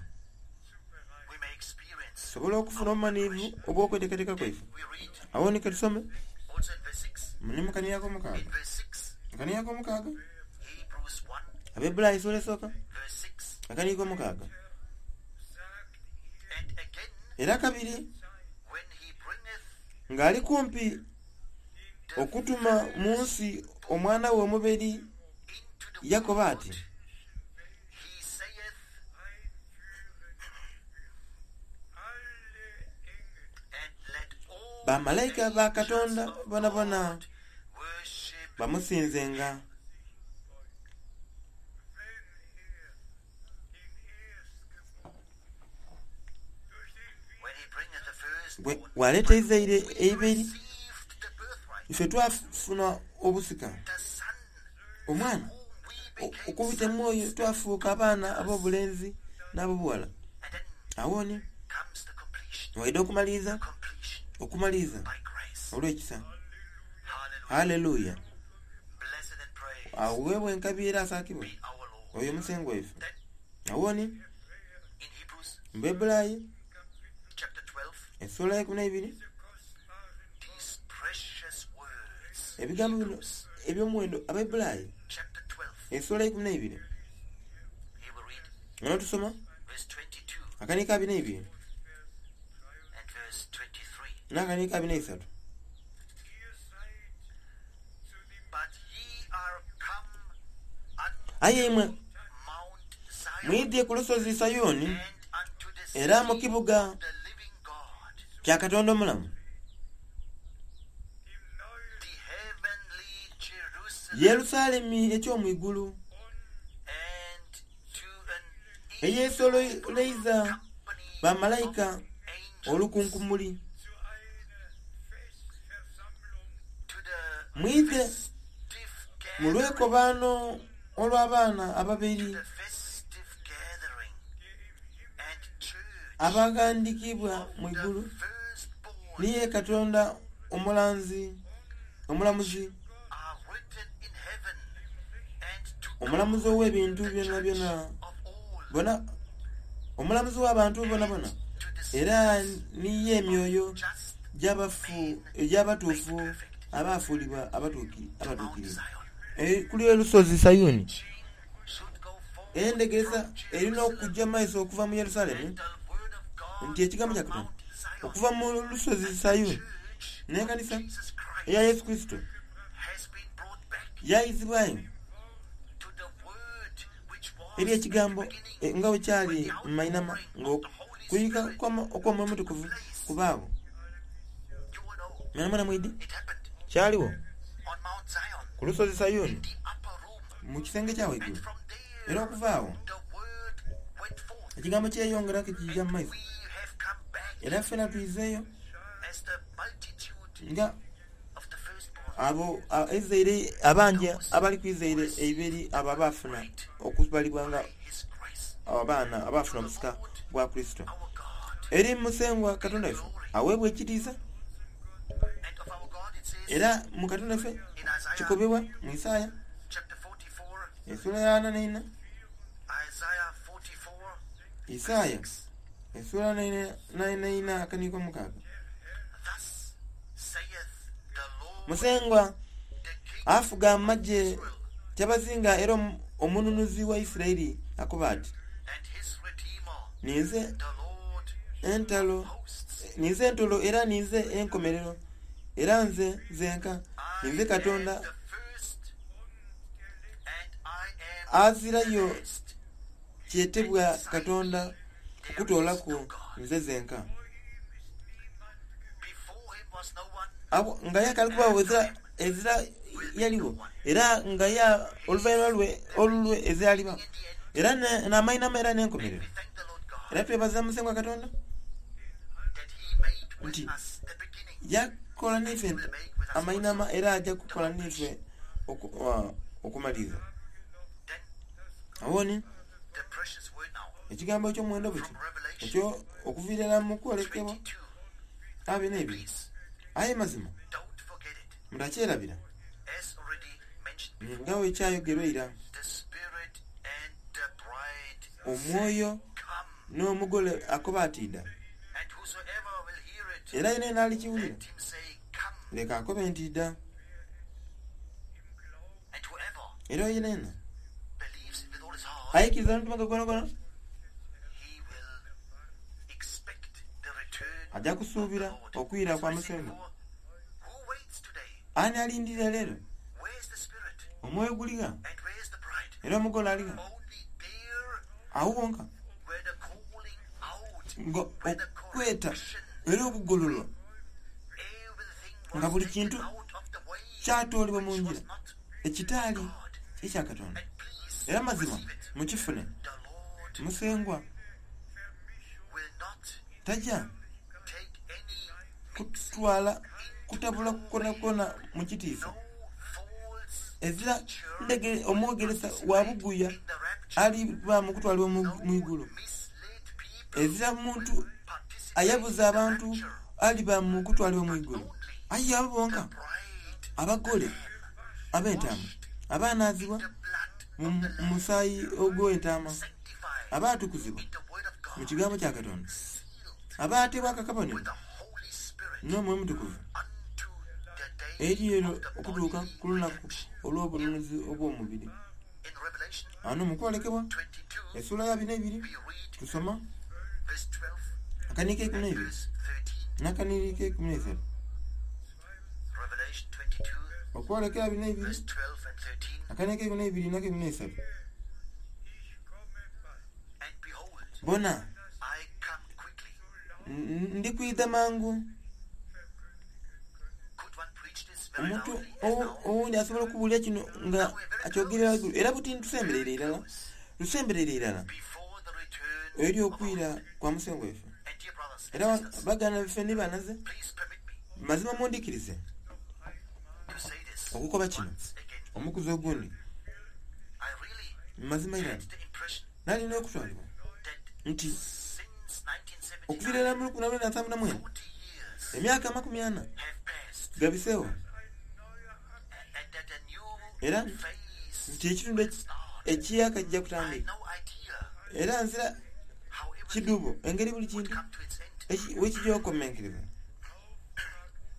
B: we may experience.
A: tusobole okufuna obumaniivu obw'okweteekateeka kwaife
B: We read
A: awo ni katusome
B: also in verse six.
A: ne mukaniyako omukaaga
B: In verse six,
A: akaniyako omukaaga
B: Hebrews one,
A: abebulayi essuula esooka
B: verse six,
A: akaniyiko omukaaga
B: and again
A: era kabiri
B: when he bringeth
A: ng'ali kumpi
B: the
A: okutuma mu nsi omwana we omuberi
B: into the
A: yakoba
B: world,
A: ati
B: he saith, and let all
A: bamalayika ba katonda
B: angels of
A: bona bona
B: God worship
A: bamusinzenga
B: when he bringeth the
A: Bwe-
B: firstborn.
A: bw'aleeta eizaire
B: We
A: eiberi
B: received the birthright,
A: ife twafuna obusika
B: the son
A: omwana
B: whom we
A: o-
B: became
A: okubita mu oyo
B: sons.
A: twafuuka abaana ab'obulenzi n'ab'obuwala
B: And then
A: awo ni
B: comes the completion,
A: waida okumaliriza
B: completion
A: okumaliriza
B: by grace.
A: olw'ekisa
B: Hallelujah.
A: haleluya
B: Blessed and praised
A: aweebwa enkabi era asaakibwe
B: be our Lord.
A: oyo omusengo waife
B: Then
A: awo ni
B: in Hebrews
A: mbebulayi
B: chapter twelve,
A: essuula y'ekumi n'ebiri
B: these precious words.
A: ebigambo bino
B: Hebrews
A: eby'omuwendo abebulayi
B: chapter twelve,
A: essuula y'ekumi n'ebiri
B: here we read
A: nga tusoma
B: verse twenty-two
A: akaniiko abiri n'ebiri
B: and verse twenty-three.
A: n'akaniiko abiri n'esatu
B: But ye are come unto
A: aye imwe
B: Mount Zion
A: mwidye ku lusozi sayuuni
B: and unto the
A: era mu
B: city
A: kibuga
B: of the living God,
A: kya katonda omulamu
B: the heavenly Jerusalem,
A: yerusaalemi eky'omu igulu
B: and to an
A: eyeesololeiza
B: company
A: bamalayika
B: of angels,
A: olukunkumuli
B: to the
A: mwidhe
B: festive
A: mu
B: gathering,
A: lwekobaano olw'abaana ababiri
B: the festive gathering and church
A: abagandikibwa mu
B: of
A: igulu
B: the firstborn
A: niye katonda omulanzi omulamuzi
B: are written in heaven, and to
A: omulamuzi
B: God,
A: ow'ebintu
B: the
A: byonna
B: judge
A: byonna
B: of all,
A: bona omulamuzi w'abantu bona bona
B: to the
A: era
B: spirits
A: niye emyoyo
B: just
A: gy'abafu egy'abatuufu abaafuulibwa abatuuki-
B: to Mount
A: abatuukirivu
B: Zion.
A: Eh, kuli olusozi sayuni
B: Teaching should go forth
A: endegeeza
B: from
A: erina
B: Jerusalem,
A: okujja maiso okuva mu yerusaalemi
B: and the word of God
A: nti ekigambo kya
B: from
A: katonda
B: Mount Zion.
A: okuva mu lusozi sayuni
B: Church
A: n'ekanisa
B: of Jesus Christ
A: eya yesu kristo
B: has been brought back
A: yayizibwayo
B: to the word which was
A: eri
B: at the
A: ekigambo
B: beginning
A: eh, nga bwe kyali
B: when the
A: mu mayinama
B: outpouring of the Holy
A: ng'okuyika
B: Spirit
A: okw'omwoyo omutukuvu kubaawo
B: You will know
A: mwana mwidi
B: it happened
A: kyaliwo
B: on Mount Zion,
A: ku lusozi sayuni
B: the upper room,
A: mu kisenge kya
B: and
A: waggulu
B: from
A: era
B: there
A: okuva awo
B: the word went forth.
A: ekigambo kyeyongerako kijja mu
B: And
A: maiso
B: we have come back
A: era ffena tuyizeeyo
B: as the multitude
A: nga
B: of the firstborn.
A: abo a- ezaire abanja abali ku izaire eiberi abo abaafuna okubalibwa nga
B: By His grace,
A: abaana abaafuna omusika gwa kristo
B: our God,
A: eri musengwa katonda waffe aweebwa ekitiisa
B: and of our God it says
A: era mu katonda ffe
B: in Isaiah
A: kikobebwa mu isaaya
B: chapter forty-four,
A: essuula ya ana n'ena
B: Isaiah forty-four,
A: isaaya
B: six.
A: Essuula naina akaniiko mukaaga.
B: Thus saith the Lord,
A: Musengwa
B: the King
A: afuga
B: of
A: amagye
B: Israel,
A: kyabazinga era omu- omununuzi wa Isirayiri akoba ati
B: and his Redeemer,
A: ninze
B: the Lord
A: entalo
B: of hosts.
A: ninze entolo era ninze enkomerero era nze nzenka
B: I
A: ninze Katonda
B: am the first, and I am
A: azirayo
B: the last.
A: kyetebwa Katonda okutoolaku nze zenka.
B: Before him was no one,
A: Abo nga ye akali kubaawo ezira ezira yaliwo era nga ye oluvannyuma lwe olulwe ezira aliba
B: in the end,
A: era ne- n'amainama era n'enkomerero.
B: we thank the Lord God
A: Era twebaza Musengwa Katonda
B: that he made with
A: nti
B: us the beginning
A: yakola n'ife amainama era ajja kukola n'ife oku- uh, okumaliriza.
B: Then
A: Awoni
B: the precious word now
A: ekigambo eky'omuwendo buti
B: from Revelation
A: ekyo okuviira ddala mu kwolekebwa
B: twenty-two.
A: abiri n'ebiri
B: Please
A: aye mazima
B: don't forget it.
A: mutakyerabira
B: As already mentioned before,
A: nga bwe kyayogerwa era
B: the Spirit and the bride
A: omwoyo
B: come,
A: n'omugole akoba ati dda
B: and whosoever will hear it,
A: era yena yena alikiwulira
B: let him say, Come.
A: leka akobe nti dda
B: And whoever
A: era yena yena
B: believes it with all his heart,
A: ayikiriza n'omutima gwe gwonagwona
B: he will expect the return
A: ajja
B: of the
A: kusuubira
B: Lord.
A: okwira
B: As
A: kwa
B: I said
A: Musengwa.
B: before, who waits today?
A: Ani alindirira leero?
B: Where is the Spirit?
A: Omwoyo guliga
B: And where is the bride?
A: era omugole aliga
B: Only there
A: awo wonka
B: where the calling out,
A: nga
B: where the
A: okweta
B: correction,
A: era okugololwa
B: everything
A: nga
B: was
A: buli
B: taken
A: kintu
B: out of the way
A: kyatoolebwa mu
B: which
A: njira
B: was not
A: ekitaali
B: God.
A: ekya Katonda.
B: And please
A: Era mazima
B: receive it.
A: mukifune
B: The Lord
A: Musengwa
B: will not
A: tajja
B: take any mixing,
A: kutwala kutabula kwona mu kitiisa
B: no false
A: ezira
B: teacher
A: ndege
B: will
A: omwogeresa wa
B: participate
A: buguya
B: in the rapture.
A: aliba mu kutwalibwa mu
B: No
A: mu igulu
B: misled people
A: ezira muntu
B: will participate
A: ayabuza
B: in the
A: abantu
B: rapture.
A: aliba mu kutwalibwa mu igulu
B: Only
A: aye abo
B: the
A: bonka
B: bride,
A: abagole ab'entaama abaanaazibwa
B: the blood
A: mu
B: of the
A: mu
B: Lamb,
A: musaayi ogw'entaama
B: sanctified
A: abaatukuzibwa
B: in the word of
A: mu
B: God,
A: kigambo kya Katonda
B: sealed
A: abaateebwa akakabonero
B: with the Holy Spirit
A: n'Omwoyo Mutukuvu
B: unto the day
A: eri ero
B: of the
A: okutuuka
B: bodily
A: ku lunaku
B: redemption.
A: olw'obununuzi obw'omubiri.
B: In Revelation
A: Ano mu kwolekebwa
B: twenty-two,
A: essuula ya bina ebiri
B: we read
A: tusoma
B: verse twelve
A: akaniiko ekkumi
B: and
A: n'ebiri
B: verse thirteen.
A: n'akaniiko ekkumi n'esatu.
B: Revelation twenty-two,
A: Okwolekera bina ebiri
B: verse twelve and thirteen.
A: akaniiko ekkumi n'ebiri n'akekumi n'esatu.
B: And behold,
A: Bona
B: I come quickly.
A: n- ndikwidha mangu.
B: Could one preach this very
A: Omuntu
B: loudly as
A: owu-
B: now?
A: owundi asobola okubuulira kino nga akyogerera waggulu era buti tusemberere irala
B: Close
A: tusemberere irala
B: before the return
A: eri
B: of our
A: okwira
B: Lord.
A: kwa Musengwa waffe.
B: And dear brothers and
A: Era wa-
B: sisters,
A: baganda baffe ni banaze
B: please permit me
A: mazima mundikirize
B: to say this
A: okukoba kino
B: once again.
A: omukuzi ogundi
B: I really
A: mazima irala
B: had the impression
A: nalina okutwalibwa
B: that
A: nti
B: since nineteen
A: okuviira ddala
B: seventy-nine,
A: mu lukumi lwenda nsanvu na mwenda
B: forty years
A: emyaka amakumi ana
B: have passed,
A: gabiseewo
B: and that a new
A: era
B: phase
A: nti ekitundu
B: will
A: eki-
B: start.
A: ekiyaka kijja
B: I had
A: kutandika
B: no idea
A: era nzira
B: how everything
A: kidubo engeri buli
B: would
A: kintu
B: come to its end,
A: eki- wekijja okukomenkereza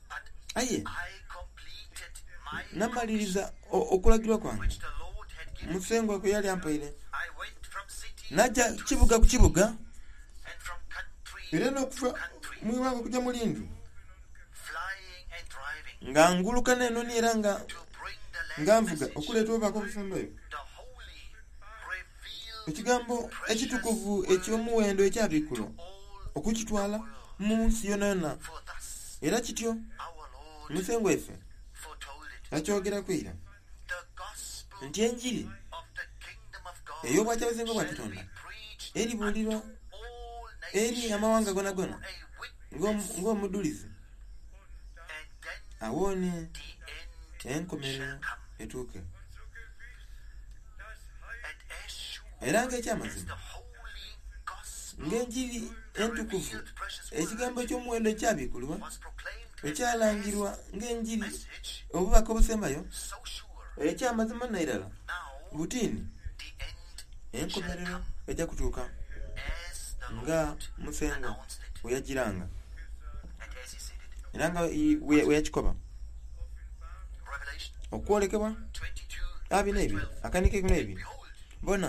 B: but
A: aye
B: I completed my
A: namaliriza o- okulagirwa kwange
B: which the Lord had given me.
A: Musengwa kwe yali ampaire
B: I went from city
A: najja
B: to
A: kibuga ku
B: city
A: kibuga
B: and from country
A: era
B: to
A: n'okuva
B: country,
A: mu iwanga okujja mu lindu
B: flying and driving
A: nga nguluka n'enoni era nga
B: to bring the last
A: nga nvuga
B: message,
A: okuleeta obubaka obusembayo
B: the holy revealed
A: ekigambo
B: precious
A: ekitukuvu
B: word
A: eky'omuwendo ekyabikkulwa
B: to all
A: okukitwala
B: the world.
A: mu nsi yonna yonna
B: For thus
A: era kityo
B: our Lord
A: Musengwa waffe
B: foretold it.
A: yakyogerako era
B: The gospel
A: nti enjiri
B: of the kingdom of God
A: ey'obwakyabazinga bwa
B: shall
A: Katonda
B: be preached
A: eribuulirwa
B: unto all
A: eri
B: nations
A: amawanga gonagona
B: for a
A: ng'omu-
B: witness,
A: ng'omudulizi
B: and then
A: awoone
B: the end
A: enkomerero
B: shall come.
A: etuuke.
B: And as sure
A: Era
B: as
A: ng'ekyamazima
B: the holy gospel,
A: ng'enjiri
B: the
A: entukuvu
B: revealed precious
A: ekigambo
B: word
A: eky'omuwendo ekyabikkulwa
B: was proclaimed as the last
A: ekyalangirwa ng'enjiri
B: message,
A: obubaka obusembayo
B: so sure
A: ekyamazima nairala
B: now
A: butiini
B: the end shall
A: enkomerero
B: come
A: ejja kutuuka
B: as the
A: Nga
B: Lord
A: Musengwa
B: announced it,
A: bwe yagiranga
B: and as he said it.
A: era nga i- bwe bwe yakikoba.
B: Revelation
A: Okwolekebwa
B: twenty-two,
A: abiri
B: verse
A: n'ebiri
B: twelve.
A: akandika ekumi n'ebiri.
B: Behold,
A: Bona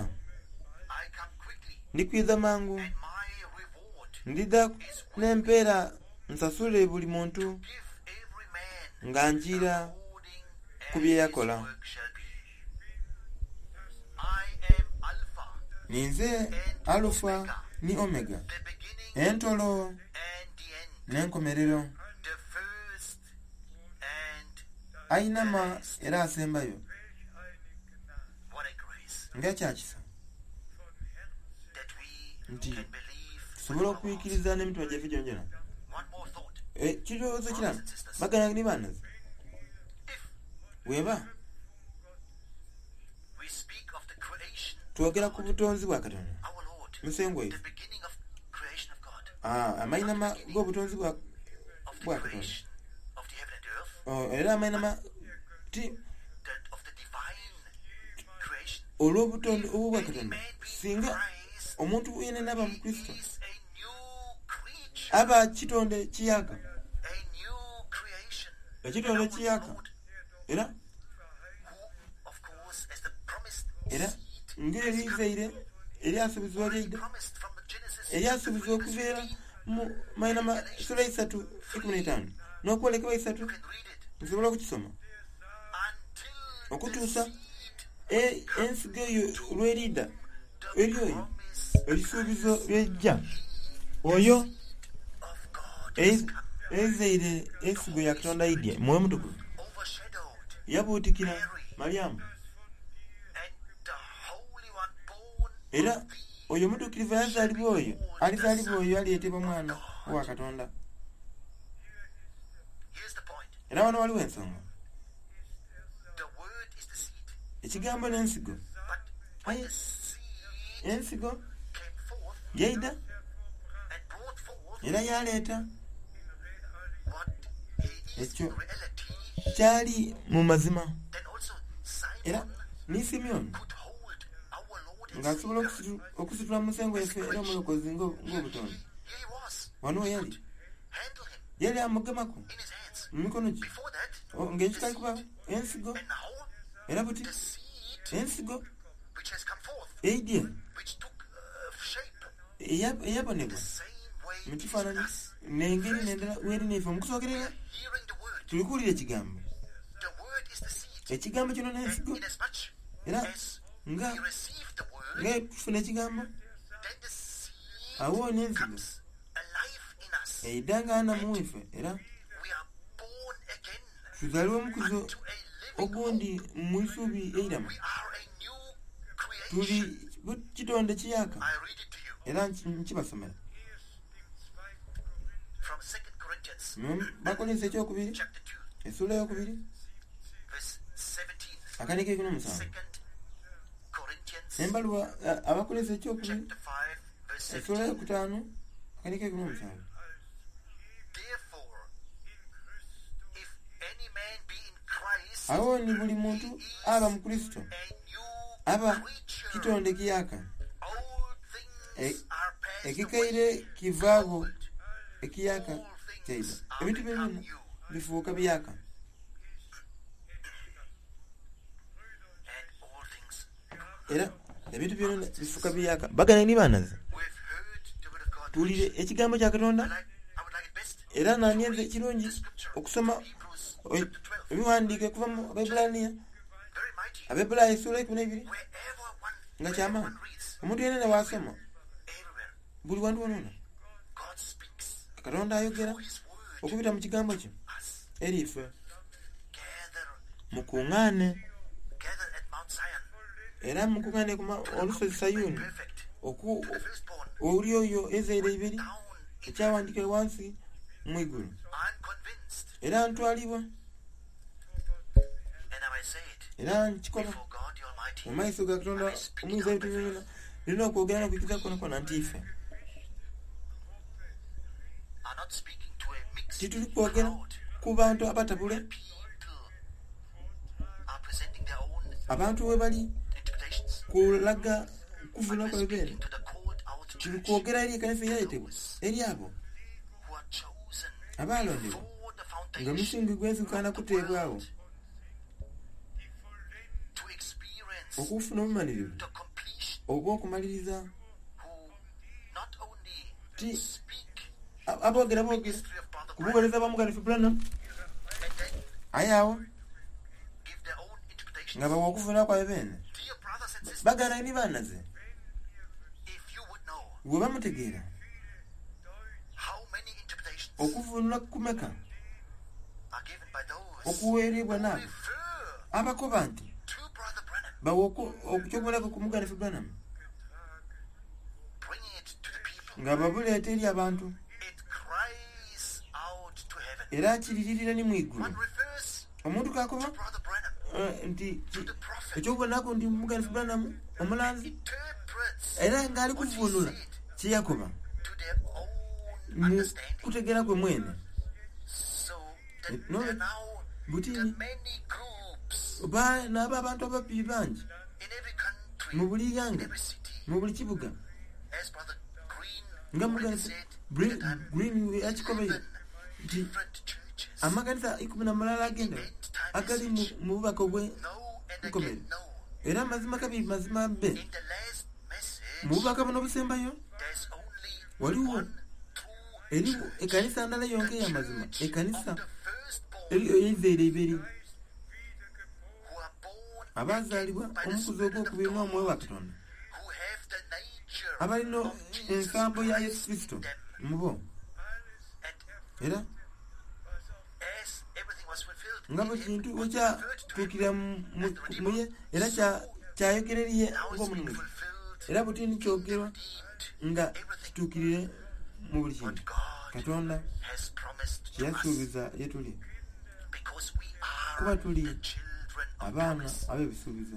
B: I come quickly,
A: ndikwidha mangu,
B: and my reward
A: ndidha n'empeera nsasule buli muntu
B: give every man
A: nga njiira
B: according
A: ku
B: as
A: bye
B: his
A: yakola.
B: work shall be. I am Alpha,
A: Ninze Alufa ni Omega,
B: the beginning
A: entolo
B: and the end,
A: n'enkomerero,
B: the first and
A: ayinama era asembayo.
B: what a grace
A: Nga kyakisa
B: that we
A: nti
B: can believe with
A: tusobole
B: our hearts.
A: okwikiriza n'emitima gyaffe gyongyona.
B: One more thought.
A: Ekirowoozo kirala, baganda ni banazi,
B: If
A: bweba
B: we speak of the creation
A: twogera ku butonzi bwa Katonda
B: our Lord,
A: Musengwa
B: the
A: ife,
B: beginning of creation of God,
A: ah, amainama g'obutonzi bwa
B: of the
A: bwa Katonda,
B: creation of the heaven and earth,
A: Oh, era amainama ti
B: that of the divine creation.
A: olw'obutonzi obwo bwa
B: Any
A: Katonda,
B: man be in
A: singa
B: Christ,
A: omuntu yenena aba mu Kristo
B: is a new creature,
A: aba kitonde kiyaka,
B: a new creation.
A: ekitonde
B: Our
A: kiyaka,
B: Lord,
A: era
B: who, of course, as the promised
A: era
B: seed,
A: ng'erizaire eryasuubizibwa lyaida
B: promised from the Genesis
A: eryasuubizibwa
B: chapter three,
A: okuva era
B: verse fifteen,
A: mu mainama sula isatu ikumi n'etaano n'okwolekebwa isatu
B: you can read it.
A: nsobola okukisoma
B: Until the
A: okutuusa
B: seed
A: e- ensigo eyo lw'eridda
B: the
A: eri oyo
B: promise
A: ebisuubizo byejja oyo
B: of God
A: e-
B: has come,
A: ezaire ensigo ya Katonda idye mwoyo mutukuvu
B: overshadowed
A: yabuutikira Malyamu
B: and the Holy One born
A: era
B: of thee
A: oyo omutuukirivu yazaalibwa oyo alizaalibwa oyo aliyetebwa mwana wa Katonda.
B: Here's the point.
A: Era wano waliwo ensonga,
B: The word is the seed.
A: ekigambo n'ensigo.
B: But when
A: Aye
B: the seed
A: ensigo
B: came forth
A: yaida
B: and brought forth
A: era yaleeta
B: what he is
A: ekyo
B: in reality,
A: kyali mu mazima.
B: then also
A: Era
B: Simon
A: ni Simyoni
B: could hold our Lord and
A: ng'asobola
B: Savior.
A: okusitu- okusitula Musengo yaffe era omulokozi ng'o- ng'obutonzi.
B: Here he was.
A: Wano we yali
B: Handle him
A: yali amugemako
B: in his hands.
A: mu mikono gye
B: Before that,
A: O- ng'ekitali kuba ensigo
B: and now
A: era buti
B: the seed
A: ensigo
B: which has come forth,
A: eidye
B: which took uh, shape
A: eya- eyabonebwa
B: the same way
A: mu
B: it is with
A: kifaananyi
B: us.
A: n'engeri n'endala weeri neife mu kusookerera
B: Hearing the word,
A: tuli kuwulira ekigambo.
B: the word is the seed.
A: Ekigambo kino
B: And
A: n'ensigo
B: inasmuch
A: era
B: as
A: nga
B: we receive the word,
A: nga tufuna ekigambo
B: then the seed
A: awo n'ensigo
B: comes alive in us.
A: eidda nga namu ife era
B: We are born again
A: tuzaalibwa omukuzo
B: unto a living
A: ogundi
B: hope.
A: mu isubi eiramu.
B: We are a new
A: Tuli
B: creation.
A: bu- kitonde kiyaka
B: I read it to you
A: era nki- nkibasomera
B: from Second Corinthians
A: Mu Bakolinso ekyokubiri
B: chapter two,
A: essuula eyokubiri
B: verse seventeen.
A: akandika ekumi n'omusanvu
B: Second Corinthians
A: embaluwa a- Abakolinso ekyokubiri
B: chapter five, verse
A: essuula
B: seventeen.
A: eyokutaano akandika ekumi n'omusanvu.
B: Therefore, if any man be in Christ,
A: Awo ni buli muntu aba mu Kristo
B: a new
A: aba
B: creature.
A: kitonde kiyaka,
B: All things
A: E-
B: are passed
A: ekikaire
B: away.
A: kivaagho
B: Behold,
A: ekiyaka
B: all
A: kyaida.
B: things are
A: Ebintu
B: become
A: byonna
B: new.
A: bifuuka biyaka
B: And all things
A: era ebintu byonna bifuuka biyaka. Baganda ni banazi
B: we've heard the word of God.
A: tuwulire
B: preached.
A: ekigambo kya
B: I
A: Katonda
B: like, I would like it best
A: era
B: to
A: nanyenze
B: read
A: kirungi
B: the scripture
A: okusoma
B: from Hebrews
A: o-
B: chapter twelve.
A: ebiwandiike okuva mu Abaebbulaniya
B: Very mighty.
A: Abaebbulaniya essuula ekumi n'ebiri
B: Wherever one,
A: nga
B: wherever
A: kyamaanyi
B: one reads,
A: omuntu yenna ne waasoma
B: everywhere,
A: buli wantu wonona
B: God speaks
A: Katonda ayogera
B: through His word
A: okubita mu kigambo kye
B: us.
A: eri ife.
B: Gather,
A: Mukuŋŋaane
B: gather at Mount Zion
A: era mukuŋŋaane ku ma-
B: to the
A: olusozi
B: complete
A: Sayuuni
B: and perfect,
A: oku
B: to the firstborn
A: oli oyo ezaire ibiri
B: down in
A: ekyawandiikibwa wansi mu igulu.
B: I'm convinced,
A: Era ntwalibwa
B: and I may say it
A: era nkikola
B: before God the Almighty,
A: mu maiso ga Katonda omuyinza ebintu byonna nina okwogera n'okukkiriza kwona kwona nti ife
B: are not speaking to a mixed
A: tituli kwogera
B: crowd.
A: ku bantu abatabule
B: People are presenting their own
A: abantu we bali
B: interpretations.
A: kulaga kuvuna
B: But we're
A: kwabeere
B: speaking to the called out
A: Tuli
B: church,
A: kwogera eri ekanisa eyayetebwa eri abo
B: who are chosen
A: abaalondebwa
B: before the
A: nga
B: foundation
A: omusingi gw'ensi gukaana
B: of the
A: kuteebwawo
B: world to experience
A: okufuna obumalirivu
B: the completion,
A: oba okumaliriza
B: who not only
A: ti
B: speak
A: a- aboogera boogera
B: ministry of Brother
A: ku
B: Branham
A: buweereza bwa muganifu Branham
B: and then
A: aye awo
B: give their own interpretations.
A: nga bawa okufuna kwabe beene
B: Dear brothers and sisters,
A: bagana ni baanaze
B: if you would know
A: bwe bamutegeera
B: how many interpretations
A: okuvuunula kumeka
B: are given by those
A: okuweerebwa
B: who
A: n'abo
B: refer
A: abakoba nti
B: to Brother Branham,
A: bawa oku- okukyobonako ku muganifu Branham
B: bringing it to the people,
A: nga babuleeta eri abantu
B: it cries out to heaven.
A: era kiriririra ni mu igulu
B: One refers
A: omuntu kakoba
B: to Brother Branham,
A: eh, nti
B: to
A: ki-
B: the prophet,
A: ekyokubonako nti muganifu Branham omulanzi
B: interprets
A: era ng'ali
B: what he
A: kuvuunula
B: said
A: kyeyakoba
B: to their own
A: mu
B: understanding.
A: kutegeera kwe mwene
B: So that
A: No,
B: there are now
A: butini
B: the many groups
A: ba- n'aba abantu ababbi bangi
B: in every country,
A: mu buli
B: in
A: ghanga
B: every city,
A: mu buli kibuga
B: as Brother Green
A: nga
B: already
A: muganifu
B: said,
A: Green-
B: the time,
A: Green yakikobeyo
B: eleven
A: nti
B: different churches.
A: amakanisa ikumi na mulala agenda
B: End time
A: agali mu
B: message.
A: mu bubaka obwe
B: No and
A: Nkomere.
B: again no.
A: era amazima kabi mazima be
B: In the last message,
A: mu bubaka buno obusembayo
B: there's only
A: waliwo
B: one true
A: eri
B: church.
A: ekanisa ndala yonka
B: The
A: ey'amazima
B: church
A: ekanisa
B: of the firstborn
A: eri ey'eizaire iberi
B: who are born
A: abazaalibwa
B: again by the
A: omukuzi
B: Spirit of
A: ogwokubiri n'omwoyo wa
B: God,
A: Katonda
B: who have the nature
A: abalina
B: of Jesus
A: ensambo ya Yesu
B: Christ
A: Kristo
B: in them.
A: mu bo
B: And
A: era
B: as everything was fulfilled
A: nga
B: in
A: bwe
B: him,
A: kintu
B: what referred to him
A: wekyatuukirira mu- mu- mu ye era kya- kyayogera eriye
B: now it's been
A: ng'omununuzi
B: fulfilled
A: era butini kyogerwa
B: redeemed
A: nga kituukirire mu buli
B: what
A: kintu
B: God
A: Katonda
B: has promised to us
A: kyeyasuubiza ye tuli
B: because we are
A: kuba tuli
B: the children of
A: abaana
B: promise.
A: ab'ebisuubizo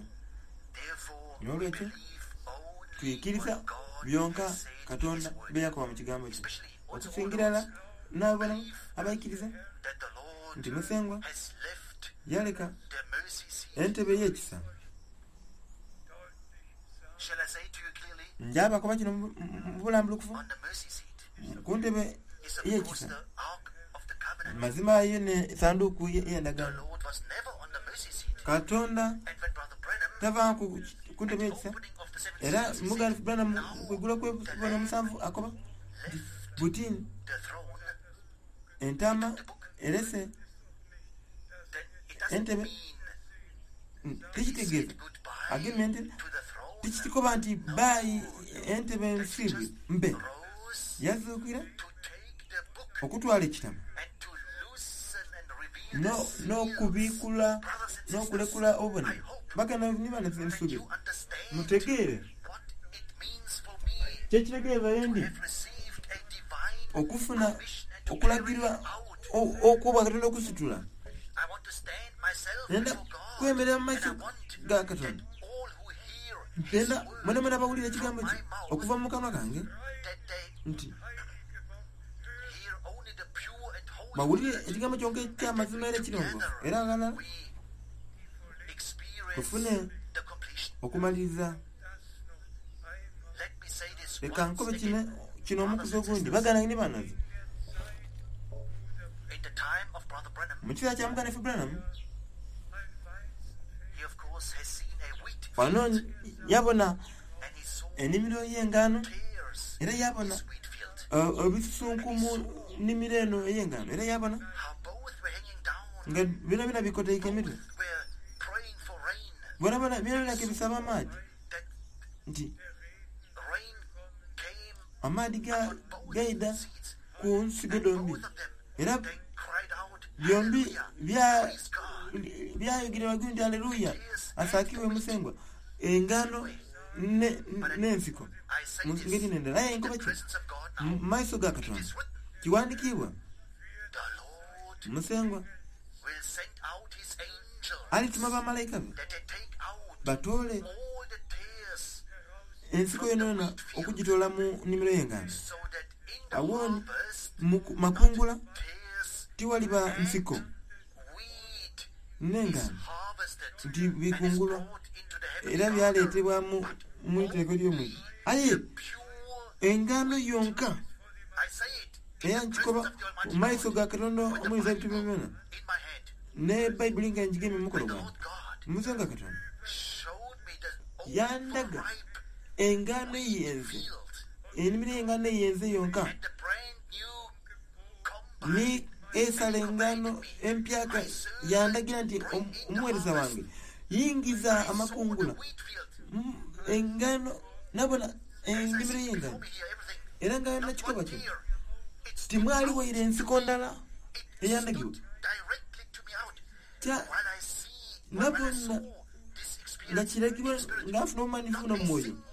B: Therefore, we
A: N'olwekyo,
B: believe only
A: tuyikkiriza
B: what God
A: byonka
B: has said in His
A: Katonda
B: word,
A: bye yakoba mu kigambo kye
B: especially also all
A: okusingira
B: those
A: n'abala abayikkiriza
B: that the Lord
A: nti Musengwa
B: has left
A: yaleka
B: the mercy seat.
A: entebe y'ekisa
B: Shall I say to you clearly,
A: njabakoba kino mu- mu mu bulambulukufu
B: on the mercy seat
A: ku ntebe
B: is of course
A: y'ekisa
B: the Ark of the Covenant.
A: mazima yo ne sanduuku ye-
B: The
A: ey'endagaano
B: Lord was never on the mercy seat.
A: Katonda
B: And when Brother Branham,
A: tava ku ku ntebe
B: at the
A: y'ekisa
B: opening of the seven
A: era
B: seals, he
A: muganifu
B: said,
A: Branham
B: now
A: kwegula
B: the
A: kwebona
B: Lamb
A: omusanvu akoba
B: left
A: butini
B: the throne,
A: entaama erese
B: then it doesn't
A: Entebe.
B: mean
A: mm,
B: that he
A: tekitegeeza
B: said goodbye
A: agemye ente
B: to the throne.
A: tekitikoba nti baayi entebe
B: That he
A: nsiibwe
B: just
A: mbe
B: rose
A: yazuukira
B: to take the book
A: okutwala ekitabo
B: and to loosen and reveal
A: no-
B: the seals.
A: n'okubiikula
B: Brothers and sisters,
A: n'okulekula
B: I
A: obubonero
B: hope
A: baganda nibana
B: that
A: nsuubira
B: you understand
A: mutegeere
B: what it means for me
A: kyekitegeeza
B: to
A: yendi
B: have received a divine
A: okufuna
B: commission and to carry
A: okulagirwa
B: it out.
A: o- okwobwa Katonda okusitula
B: I want to stand myself
A: nenda
B: before God,
A: kwemerera mu
B: and I
A: maaso
B: want
A: ga
B: that
A: Katonda
B: all who hear His
A: mpenda
B: word
A: mwena mwena abawulira
B: from
A: ekigambo
B: my
A: kye
B: mouth,
A: okuva mu kamwa kange
B: that they
A: nti
B: hear only the pure and holy
A: bawulire
B: word,
A: ekigambo kyonka
B: and that
A: ekyamazima era ekirongoofu
B: together
A: era agalala
B: we experience
A: tufune
B: the completion.
A: okumaliriza
B: Let me say this
A: leka
B: once
A: nkobe kino
B: again.
A: kino omukuzi ogundi baganda ne banazi
B: In the time of Brother Branham,
A: mu kiseera kya muganifu Branham
B: he of course has seen a wheat
A: wano
B: field,
A: yabona
B: and he saw
A: ennimiro y'engaano
B: tares
A: era
B: in
A: yabona
B: his wheat field.
A: uh, ebisusunku mu nnimiro eno ey'engaano era yabona
B: How both were hanging down,
A: nga byona byona bikoteeka emitwe
B: both were praying for rain,
A: byona byona byona byona kebisaba amaadi
B: that
A: nti
B: rain came
A: amaadi ga-
B: upon both
A: gaida
B: seeds.
A: ku nsigo
B: And
A: dombi
B: both of them,
A: era
B: they cried out,
A: byombi
B: Hallelujah,
A: bya-
B: praise God.
A: byayogera waggulu nti aleluya asaakibwe musengwa engaano ne- n'ensiko
B: I say
A: mu
B: this
A: ngeri n'endala aye
B: in
A: enkoba
B: the
A: ki
B: presence of God
A: mu
B: now.
A: maaso ga
B: It
A: Katonda
B: is written,
A: kiwandikiibwa
B: the Lord
A: musengwa
B: will send out his angels
A: alituma bamalayika be
B: that they take out
A: batoole
B: all the tares
A: ensiko yonayona okugitoola mu nnimiro y'engaano
B: so that in the
A: awo
B: harvest
A: mu ku- makungula
B: tares
A: tiwaliba nsiko
B: wheat is
A: n'engaano
B: harvested
A: nti
B: and is
A: bikungulwa
B: brought into the heavenly
A: era
B: garner.
A: byaleetebwa mu mu iteeko ly'omwigo aye
B: Pure
A: Engaano yonka
B: I say it in
A: era
B: the
A: nkikoba
B: presence of the Almighty
A: mu maiso
B: God,
A: ga Katonda
B: with the
A: omuyinza ebintu
B: Bible
A: byonna
B: in my hand.
A: ne bayibuli nga ngigemye mu mukono
B: When the
A: gwange
B: Lord God
A: musenga Katonda
B: showed me the
A: Yandaga.
B: overripe
A: engaano eyenze
B: field
A: ennimiro y'engaano eyenze yonka
B: and the brand new combine
A: ni esala engaano empyaka yandagira nti "Om- omuweereza wange yingiza
B: I saw the
A: amakungula
B: wheat field.
A: Mm, engaano nabona
B: As I
A: ennimiro
B: see
A: y'engaano
B: before me here, everything.
A: era nga
B: Not
A: nakikoba
B: one
A: kino
B: tear. It stood
A: timwali
B: out
A: waire
B: to
A: ensiko
B: me.
A: ndala
B: It
A: eyandagibwa
B: stood directly to me out.
A: Kya-
B: While I see, while I
A: nabona
B: saw this
A: nga
B: experience,
A: kiragibwa
B: in spirit,
A: nga nfuna obumanyirivu
B: not a
A: n'omwoyo
B: single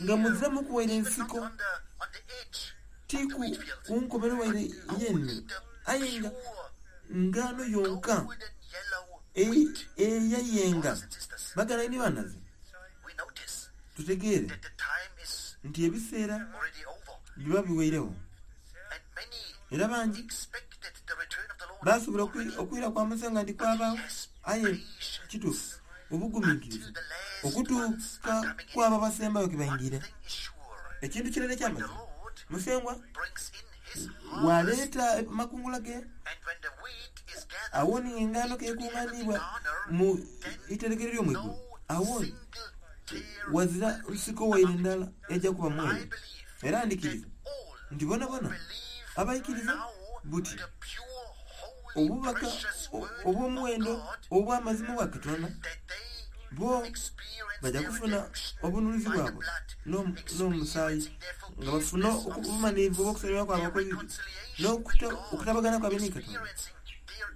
A: nga
B: tear,
A: muziramu kuwaire
B: even not
A: ensiko
B: on the, on the edge
A: ti
B: of the
A: ku
B: wheat field,
A: ku nkomero waire
B: but
A: y'ennimiro
B: only the
A: aye nga
B: pure
A: ngaano yonka
B: golden yellow
A: eyi-
B: wheat.
A: eyayenga
B: Brothers and sisters,
A: bagala ni banaze
B: we notice
A: tutegeere
B: that the time is
A: nti ebiseera
B: already over,
A: biba biweirewo
B: and many
A: era bangi
B: expected the return of the Lord
A: basobola okwi-
B: already.
A: okwira kwa musenga nti kwabaawo aye kituufu obugumiikiriza
B: Until the last ones
A: okutuuka
B: are coming in.
A: kwabo abasembayo ke
B: One
A: bayingira
B: thing is sure,
A: ekintu kirala
B: when the
A: ekyamazima
B: Lord
A: musengwa
B: brings in his harvest,
A: waleeta amakungula ge
B: and when the wheat is gathered
A: awoni engaano
B: into the heavenly
A: kekuŋŋaanibwa
B: garner,
A: mu
B: then
A: iterekero ly'omwigulu
B: no
A: awoni
B: single tear
A: wazira
B: will be
A: nsiko waire
B: among it.
A: ndala ejja kuba
B: I
A: mweru
B: believe
A: era
B: that
A: ndikiriza
B: all
A: nti bona
B: who
A: bona
B: believe
A: abayikiriza
B: now
A: buti
B: the pure, holy,
A: obubaka
B: precious
A: o-
B: word of
A: obw'omuwendo
B: God,
A: obw'amazima bwa Katonda
B: that they
A: bo
B: experience
A: bajja
B: their
A: kufuna
B: redemption
A: obununuzi
B: by the
A: bwabwe
B: blood,
A: n'omu- n'omusaayi
B: experiencing their
A: nga bafune
B: forgiveness of
A: obumalirivu
B: sins,
A: obw'okusalirwa kwabwe
B: their
A: okw'ebibi
B: reconciliation with
A: n'okuta-
B: God,
A: okutabagana kwabwe ne Katonda
B: experiencing their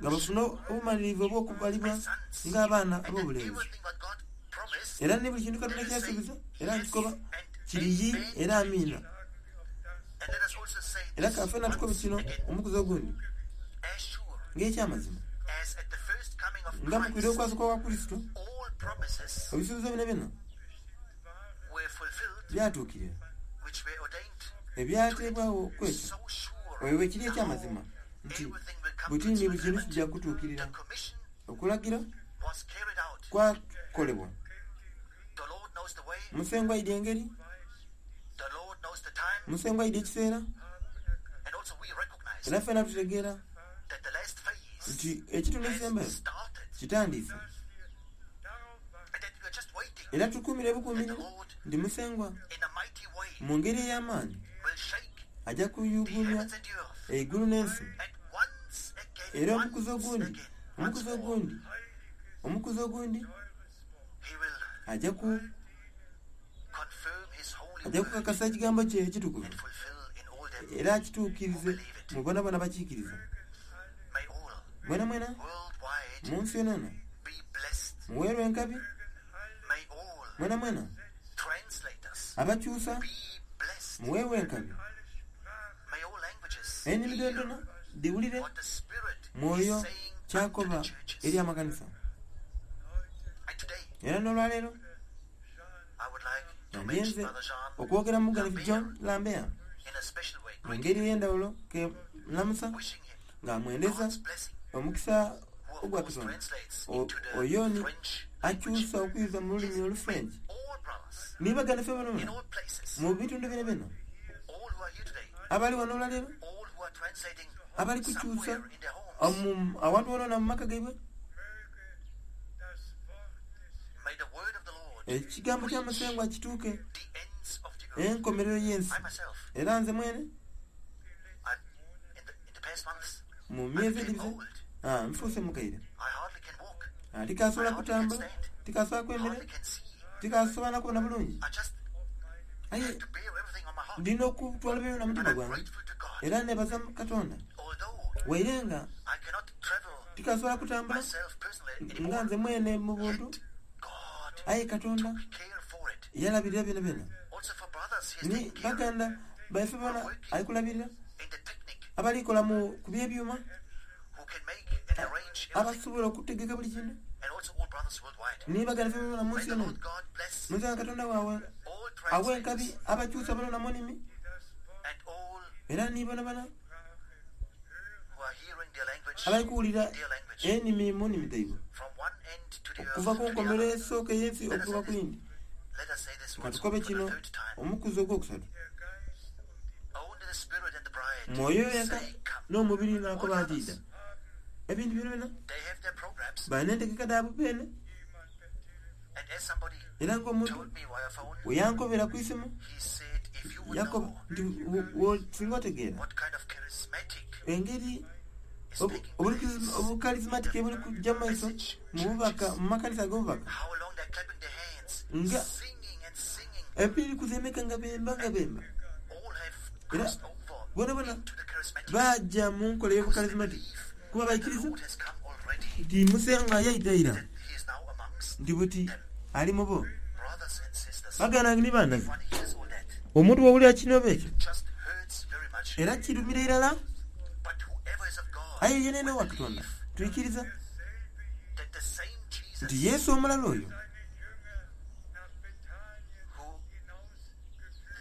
A: nga bafune
B: adoption
A: obumalirivu obw'okubalibwa
B: as sons,
A: ng'abaana
B: and that
A: ab'obulenzi
B: everything what God promised,
A: era ne buli kintu Katonda
B: let us say
A: kyasuubiza era
B: yes
A: nkikoba
B: and
A: kiriyi
B: amen
A: era
B: to it.
A: amiina
B: And let us also say
A: era
B: this
A: kafe natukobe
B: once
A: kino
B: again,
A: omukuzi ogundi
B: as sure
A: ng'ekyamazima
B: as at the first coming of
A: nga mu kwira
B: Christ,
A: okwasooka kwa Kristo
B: all promises
A: ebisuubizo bino byonna
B: were fulfilled
A: byatuukirira
B: which were ordained to it.
A: ebyateebwawo kwekyo
B: So sure
A: oyo bwe kiri
B: now
A: ekyamazima nti
B: everything will come to
A: buti
B: its
A: ni buli kintu
B: fulfillment.
A: kijja kutuukirira
B: The commission
A: okulagira
B: was carried out.
A: kwakolebwa
B: The Lord knows the way,
A: musengwa ayidi engeri
B: the Lord knows the time,
A: musengwa ayidi ekiseera
B: and also we recognize
A: era ffena tutegeera
B: that the last phase
A: nti ekitundu
B: has
A: ekisembayo
B: started
A: kitandise
B: and that we are just waiting
A: era tukuumire
B: that the
A: bukuumire
B: Lord
A: nti musengwa
B: in a mighty way
A: mu ngeri ey'amaanyi
B: will shake
A: ajja
B: the
A: kuyugumya
B: heavens and the earth.
A: eggulu n'ensi
B: And once again,
A: era omukuzi
B: once
A: ogundi
B: again, once
A: omukuzi
B: more,
A: ogundi omukuzi ogundi
B: he will
A: ajja ku
B: confirm his holy
A: ajja
B: word
A: kukakasa ekigambo kye ekitukuvu
B: and fulfill in all them
A: era
B: who
A: akituukirize
B: believe it.
A: mu bona bona bakiikiriza
B: May all
A: mwena mwena
B: worldwide
A: mu nsi yonana
B: be blessed.
A: muweerwa enkabi
B: May all
A: mwena mwena
B: translators
A: abakyusa
B: be blessed.
A: muweerwa enkabi
B: May all languages
A: ennimi
B: hear
A: dondona diwulire
B: what the Spirit is
A: mwoyo
B: saying unto
A: kyakoba
B: the churches.
A: eri amakanisa
B: And today,
A: era n'olwaleero
B: I would like to mention
A: nandyenze
B: Brother Jean
A: okwogera muganifu John
B: Lambert
A: Lambert
B: in a special way,
A: mu
B: greeting
A: ngeri
B: him,
A: ey'endawulo ke lamusa
B: wishing him
A: ng'amwendeza
B: God's blessing,
A: omukisa
B: who of
A: ogwa
B: course
A: Katonda
B: translates
A: O-
B: into the
A: oyo ni
B: French language.
A: akyusa okuyuza mu lulimi
B: Yes, may
A: olufrench
B: all brothers
A: nibagana ffe
B: in
A: bonona
B: all places,
A: mu bitundu bino bino
B: all who are here today,
A: abali wano olwaleero
B: all who are translating
A: abali kukyusa
B: somewhere in their homes,
A: omu- awantu wonona mu maka gaibwe
B: may the word of the Lord
A: ekigambo kya
B: reach
A: musengwa kituuke
B: the ends of the earth.
A: enkomerero y'ensi
B: I myself,
A: era nze mwene
B: I, in the, in the past months,
A: mu
B: I
A: myezi
B: became
A: egibise
B: old.
A: ah, nfuuse mukaire
B: I hardly can walk,
A: Ah,
B: I
A: tikasobola
B: hardly can
A: kutambula
B: stand,
A: tikasobola kwemera
B: hardly can see.
A: tikasobola nakubona bulungi
B: I just
A: aye
B: have to bear everything on my heart.
A: ndina okutwala byona
B: But
A: mutima
B: I'm
A: gwange
B: grateful to God.
A: era nebaza Katonda
B: Although
A: waire nga
B: I cannot travel
A: tikasobola kutambula
B: myself personally
A: nga
B: anymore,
A: nze mwene mu buntu
B: yet God
A: aye Katonda
B: took care for it.
A: yalabirira byona byona
B: Also for brothers, He has
A: ni
B: taken care
A: baganda baife bona alikulabirira
B: in the technique
A: abalikola mu ku byebyuma
B: who can make and arrange everything,
A: abasobola okutegeka buli kintu
B: and also all brothers worldwide.
A: ni baganda ffe bona mu
B: May
A: nsi
B: the
A: yona
B: Lord God bless
A: musenga Katonda waawe
B: all
A: awa enkabi
B: translators
A: abakyusa bona mu nnimi
B: and all
A: era ni bona bana
B: who are hearing their language,
A: abali kuwulira
B: their language,
A: ennimi mu nnimi zaibwe
B: from one end to the earth
A: okuva ku
B: to the
A: nkomerero
B: other.
A: esooka ey'ensi okutuuka ku yindi
B: Let us say this
A: ka
B: once
A: tukobe
B: for
A: kino
B: the third time.
A: omukuzi ogwokusatu
B: and
A: Mwoyo yenka
B: say, "Come."
A: n'omubiri
B: All
A: n'akoba nti
B: others,
A: idda. Ebintu byona byona
B: they have their programs.
A: balina entegeka dhaabwe beene.
B: And as somebody
A: Era ng'omuntu
B: told me via phone,
A: bwe yankobera ku isimu
B: he said, if you would
A: yakoba
B: know
A: nti wo- wo- singa otegeera
B: what kind of charismatic
A: engeri
B: is
A: obu-
B: taking
A: obulikiz-
B: place,
A: obukarismatiki ebuli kujja mu maiso mu bubaka mu makanisa ag'obubaka
B: how long they're clapping their hands,
A: Nga-
B: singing and singing,
A: empiri kuzemeka nga bemba nga bemba
B: all have
A: Era
B: crossed over
A: bona bona
B: into the charismatic.
A: bajja mu nkola y'obukarismatic kuba
B: The
A: baikiriza
B: Lord has come already.
A: nti musenga yaita ira
B: That he is now amongst
A: nti buti ali mu bo.
B: brothers and sisters.
A: Baganda ni bandazi
B: One hears all that.
A: omuntu wawulira kinoba ekyo
B: Just hurts very much.
A: era kirumira irala.
B: But whoever is of God,
A: Aye yenene wa Katonda tuikiriza
B: that the same Jesus
A: nti Yesu omulala oyo
B: who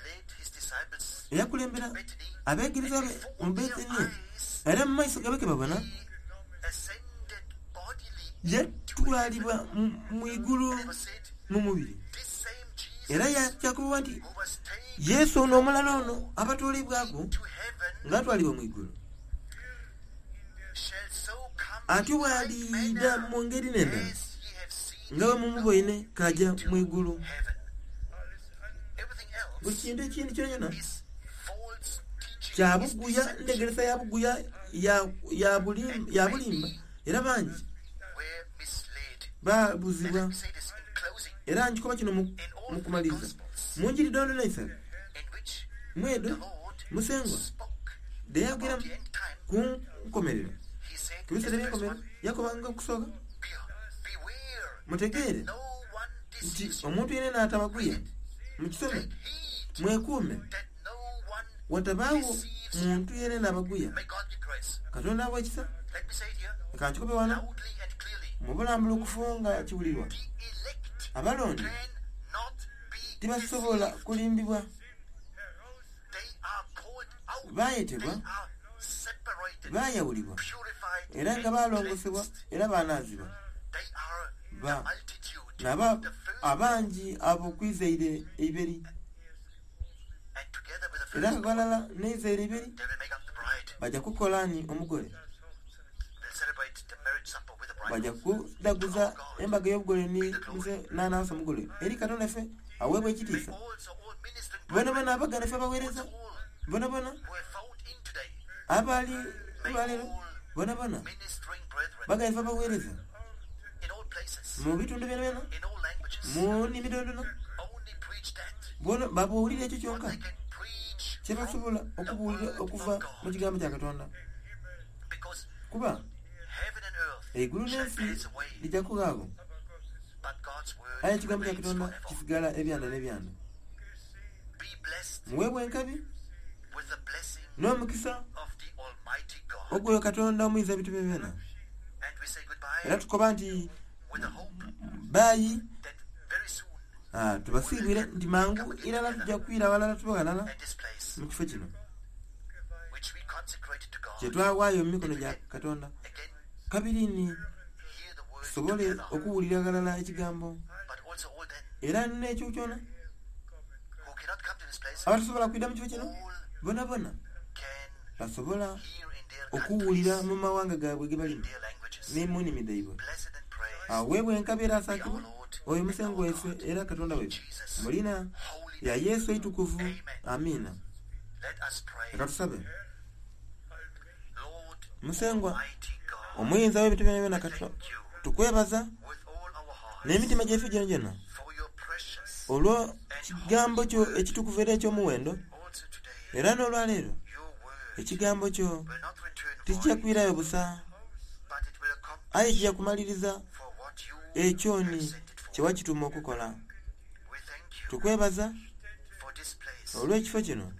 B: led his disciples
A: eyakulembera
B: to Bethany,
A: abeegereza be mu
B: before their
A: Betaniya
B: eyes,
A: era mu maiso gabe ke babona
B: he ascended bodily
A: yatwalibwa mu- mu igulu
B: And it was said,
A: mu mubiri.
B: this same Jesus
A: Era yakyakuba nti
B: who was taken
A: Yesu ono omulala ono abatwalibwako
B: to heaven
A: ng'atwalibwa mu igulu
B: shall so come
A: ate
B: in like
A: bw'aliida
B: manner
A: mu ngeri n'endala
B: as ye have seen
A: nga bwe
B: him go
A: mumuboine kajja mu igulu.
B: heaven. Everything
A: Buli
B: else
A: kintu ekindi kyona kyona
B: is false teaching,
A: kya
B: is
A: buguya,
B: deception.
A: ntegeresa ya buguya ya- ya bulim- ya bulimba era bangi
B: Were misled.
A: babuzibwa.
B: And let me say this in closing,
A: Era nkikoba kino mu
B: in all
A: mu
B: three
A: kumaliriza
B: gospels
A: mu njiri dondona isatu
B: in which
A: mwedo
B: the Lord
A: musengwa
B: spoke
A: deyayogera
B: about the end time,
A: ku nkomerero
B: he said
A: ku
B: in
A: biseera
B: the first
A: by'enkomerero
B: one,
A: yakobanga okusooka
B: "Be- beware
A: mutegeere
B: no one
A: nti
B: deceives you.
A: omuntu yenna n'atabaguya mukisome
B: Take heed
A: mwekuume
B: that no one
A: watabaawo
B: deceives you.
A: muntu yenna n'abaguya.
B: May God give grace.
A: Katonda awa ekisa.
B: Let me say it here
A: Leka nkikobe wano
B: loudly and clearly.
A: mu bulambulukufu nga kiwulirwa.
B: The elect
A: Abalonde
B: cannot be
A: tebasobola
B: deceived.
A: kulimbibwa.
B: They are called out. They
A: Baayetebwa,
B: are separated,
A: baayawulibwa
B: purified,
A: era nga
B: and
A: baalongosebwa
B: cleansed.
A: era baanaazibwa.
B: They are the
A: Ba-
B: multitude,
A: naba
B: the first,
A: abangi ab'okwizaire eiberi
B: and together with the
A: era
B: first,
A: nga galala n'eizaire eiberi
B: they will make up the bride.
A: bajja kukola ni omugole.
B: They'll celebrate the marriage supper with the
A: Bajja
B: bride.
A: kudaguza embaga y'obugole ni muse n'anaasa omugole eri Katonda ffe aweebwa
B: They
A: ekitiisa.
B: also all ministering
A: Bona
B: brethren,
A: bona abaganda ffe abaweereza
B: also all
A: bona bona
B: who have found in today,
A: abaali
B: may
A: olwaleero
B: all
A: bona bona
B: ministering brethren
A: baganda ffe abaweereza
B: in all places,
A: mu bitundu byona byona
B: in all languages,
A: mu nnimi dondona
B: only preach that
A: bona babuulira ekyo
B: what
A: kyonka
B: they can preach
A: kye
B: from
A: basobola
B: the
A: okubuulira
B: word
A: okuva
B: of
A: mu
B: God.
A: kigambo kya Katonda
B: Because
A: kuba
B: heaven and earth
A: eggulu
B: shall
A: n'ensi
B: pass away,
A: lijja kugaago
B: but God's word
A: aye ekigambo kya
B: remains
A: Katonda
B: forever.
A: kisigala ebyanda n'ebyanda.
B: Be blessed
A: Muweebwa enkabi
B: with the blessing
A: n'omukisa
B: of the Almighty God.
A: ogwoyo Katonda omuyinza ebintu byonna.
B: And we say goodbye
A: Era tukoba nti
B: with the hope
A: baayi
B: that very soon
A: ah, tubasiibwire nti mangu irala tujja kwira walala tube walala
B: at this place
A: mu kifo kino
B: which we consecrated to
A: kye
B: God,
A: twawaayo mu mikono gya Katonda
B: again
A: kabiri ni
B: hear the word
A: tusobole
B: together,
A: okuwulira galala ekigambo
B: but also all then
A: era n'ekyo kyona
B: who cannot come to this place,
A: abatasobola kwidda mu kifo kino
B: all
A: bona bona
B: can
A: basobola
B: hear in their
A: okuwulira
B: countries,
A: mu mawanga gaabwe ge
B: in
A: balimu
B: their languages.
A: ne mu nnimi dhaibwe.
B: Blessed and praised
A: Aweebwa enkabi era
B: be our
A: asaakibwa
B: Lord
A: oyo
B: and
A: musengo
B: our
A: waife
B: God.
A: era Katonda
B: In
A: waife
B: Jesus'
A: mu lina
B: holy
A: lya
B: name.
A: Yesu eitukuvu.
B: Amen.
A: Amiina.
B: Let us pray.
A: Leka tusabe.
B: Lord,
A: Musengwa
B: Almighty God,
A: omuyinza w'ebintu byona byona
B: we
A: Katonda
B: thank you
A: tukwebaza
B: with all our hearts
A: n'emitima gyaife gyona gyona
B: for your precious
A: olw'ekigambo kyo ekitukuvu era eky'omuwendo
B: also today.
A: era n'olwaleero
B: Your word
A: ekigambo kyo
B: will not return
A: tekijja
B: void,
A: kwirayo busa
B: but it will
A: aye
B: accomplish
A: kijja kumaliriza
B: for what you
A: ekyo
B: have
A: ni
B: sent it
A: kye
B: for.
A: wakituma okukola.
B: We thank you
A: Tukwebaza
B: for this place
A: olw'ekifo kino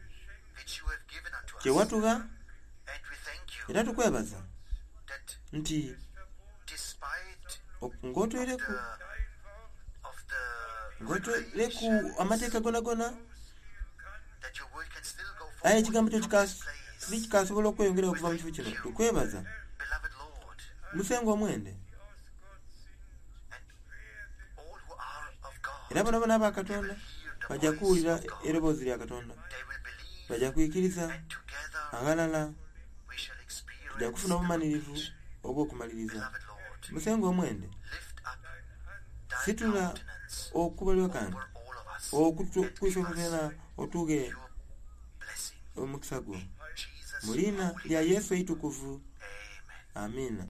B: which you have given unto
A: kye
B: us.
A: watuwa
B: And we thank you
A: era tukwebaza
B: that
A: nti
B: despite
A: ok- ng'otwereku
B: the of the
A: ng'otwereku
B: regulations
A: amateeka gonagona
B: that your word can still go
A: aye
B: forward
A: ekigambo kyo
B: from
A: kika-
B: this place.
A: si kikasobola okweyongera okuva mu kifo kino. Tukwebaza
B: Beloved Lord,
A: musenga omwende
B: and all who are of God
A: era bona bona aba
B: will
A: Katonda
B: hear the
A: bajja
B: voice
A: kuwulira
B: of God.
A: eroboozi lya Katonda
B: They will believe
A: Bajja kwikiriza
B: And together
A: aghalala
B: we shall
A: tujja
B: experience
A: kufuna
B: the
A: obumalirivu
B: completion.
A: obw'okumaliriza.
B: Beloved Lord,
A: Musengwa omwende
B: lift up thy
A: situla
B: countenance
A: okubalirwa kange
B: over all of us
A: okutu
B: and
A: kwife
B: give us
A: byona otuge
B: your blessing.
A: omukisa gwo
B: In Jesus'
A: mu liina
B: holy
A: lya
B: name.
A: Yesu eitukuvu
B: Amen.
A: amiina.